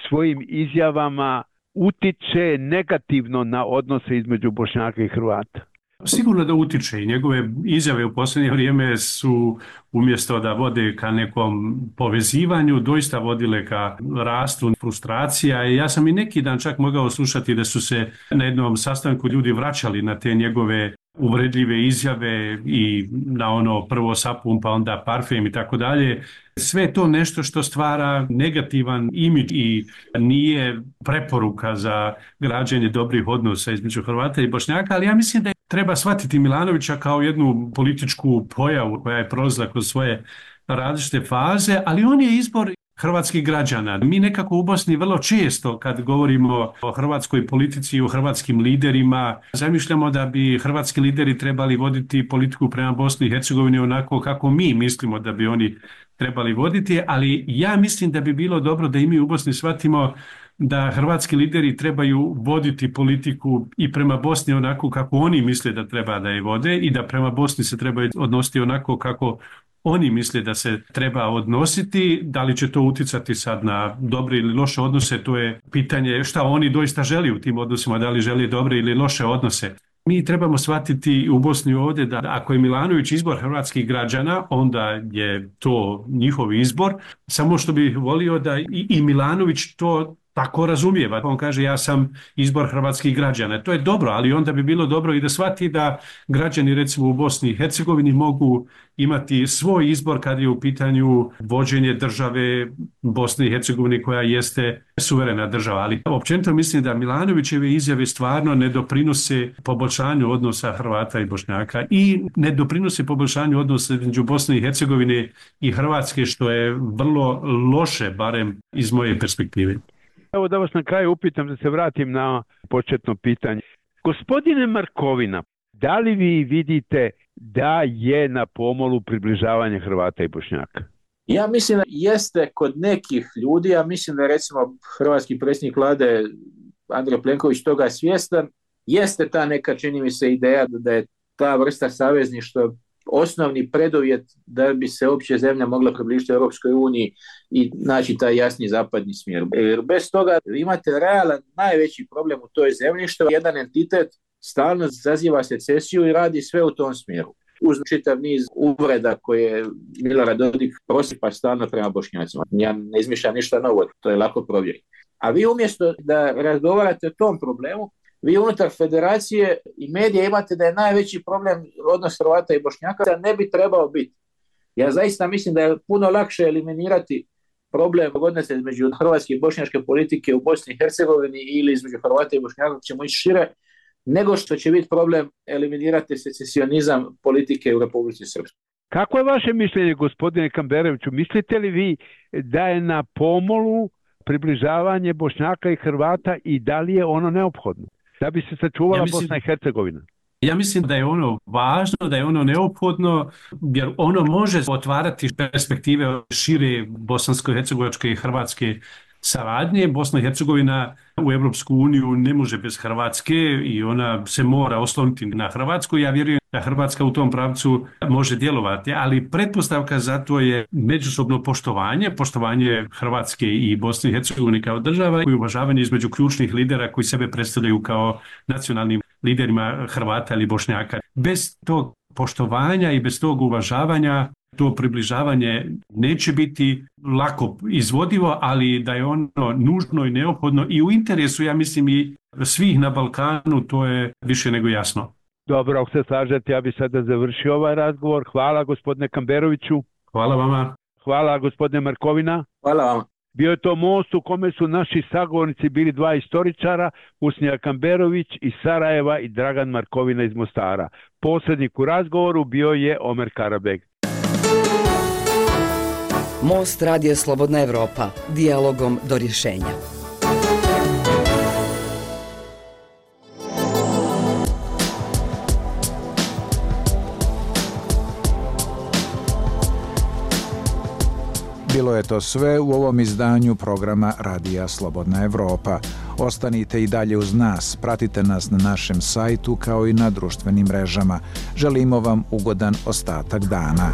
svojim izjavama utiče negativno na odnose između Bošnjaka i Hrvata? Sigurno da utiče i njegove izjave u posljednje vrijeme su umjesto da vode ka nekom povezivanju, doista vodile ka rastu frustracija. I ja sam i neki dan čak mogao slušati da su se na jednom sastanku ljudi vraćali na te njegove uvredljive izjave i na ono prvo sapun pa onda parfem i tako dalje. Sve to nešto što stvara negativan imidž i nije preporuka za građenje dobrih odnosa između Hrvata i Bošnjaka, ali ja mislim da treba shvatiti Milanovića kao jednu političku pojavu koja je prolazila kroz svoje različite faze, ali on je izbor hrvatskih građana. Mi nekako u Bosni vrlo često kad govorimo o hrvatskoj politici i o hrvatskim liderima, zamišljamo da bi hrvatski lideri trebali voditi politiku prema Bosni i Hercegovini onako kako mi mislimo da bi oni trebali voditi, ali ja mislim da bi bilo dobro da i mi u Bosni shvatimo da hrvatski lideri trebaju voditi politiku i prema Bosni onako kako oni misle da treba da je vode i da prema Bosni se trebaju odnositi onako kako oni misle da se treba odnositi. Da li će to utjecati sad na dobre ili loše odnose, to je pitanje šta oni doista želi u tim odnosima, da li želi dobre ili loše odnose. Mi trebamo shvatiti u Bosni ovdje da ako je Milanović izbor hrvatskih građana, onda je to njihov izbor, samo što bih volio da i Milanović to tako razumijeva. On kaže ja sam izbor hrvatskih građana. To je dobro, ali onda bi bilo dobro i da shvati da građani recimo u Bosni i Hercegovini mogu imati svoj izbor kad je u pitanju vođenje države Bosne i Hercegovine koja jeste suverena država. Ali općenito mislim da Milanovićeve izjave stvarno ne doprinose poboljšanju odnosa Hrvata i Bošnjaka i ne doprinose poboljšanju odnosa između Bosne i Hercegovine i Hrvatske, što je vrlo loše, barem iz moje perspektive. Evo da vas na kraju upitam, da se vratim na početno pitanje. Gospodine Markovina, da li vi vidite da je na pomolu približavanje Hrvata i Bošnjaka? Ja mislim da jeste kod nekih ljudi, ja mislim da recimo hrvatski predsjednik vlade Andrej Plenković toga svjestan, jeste ta neka, čini mi se, ideja da je ta vrsta savezništva osnovni preduvjet da bi se uopće zemlja mogla približiti Europskoj uniji i naći taj jasni zapadni smjer. Jer bez toga imate realan najveći problem u toj zemlji, što jedan entitet stalno zaziva secesiju i radi sve u tom smjeru. Uz čitav niz uvreda koje Milorad Dodik prosipa stalno prema Bošnjacima. Ja ne izmišljam ništa novo, to je lako provjeriti. A vi umjesto da razgovarate o tom problemu, vi unutar federacije i medija imate da je najveći problem odnos Hrvata i Bošnjaka, da ne bi trebao biti. Ja zaista mislim da je puno lakše eliminirati problem odnosa između hrvatske i bošnjačke politike u Bosni i Hercegovini ili između Hrvata i Bošnjaka, ćemo ići šire, nego što će biti problem eliminirati secesionizam politike u Republici Srpskoj. Kako je vaše mišljenje, gospodine Kamberoviću? Mislite li vi da je na pomolu približavanje Bošnjaka i Hrvata i da li je ono neophodno da bi se sačuvala Bosna i Hercegovina? Ja mislim da je ono važno, da je ono neophodno, jer ono može otvarati perspektive šire bosansko-hercegovačke i hrvatske saradnje. Bosna i Hercegovina u Europsku uniju ne može bez Hrvatske i ona se mora osloniti na Hrvatsku. Ja vjerujem da Hrvatska u tom pravcu može djelovati, ali pretpostavka za to je međusobno poštovanje Hrvatske i Bosne i Hercegovine kao država i uvažavanje između ključnih lidera koji sebe predstavljaju kao nacionalnim liderima Hrvata ili Bošnjaka. Bez tog poštovanja i bez tog uvažavanja to približavanje neće biti lako izvodivo, ali da je ono nužno i neophodno i u interesu, ja mislim, i svih na Balkanu, to je više nego jasno. Dobro, ako se slažete, ja bih sada završio ovaj razgovor. Hvala gospodine Kamberoviću. Hvala vama. Hvala gospodine Markovina. Hvala vama. Bio je to most u kome su naši sagovornici bili dva istoričara, Usnija Kamberović iz Sarajeva i Dragan Markovina iz Mostara. Posrednik u razgovoru bio je Omer Karabeg. Most Radio Slobodna Evropa. Dijalogom do rješenja. Bilo je to sve u ovom izdanju programa Radija Slobodna Evropa. Ostanite i dalje uz nas, pratite nas na našem sajtu kao i na društvenim mrežama. Želimo vam ugodan ostatak dana.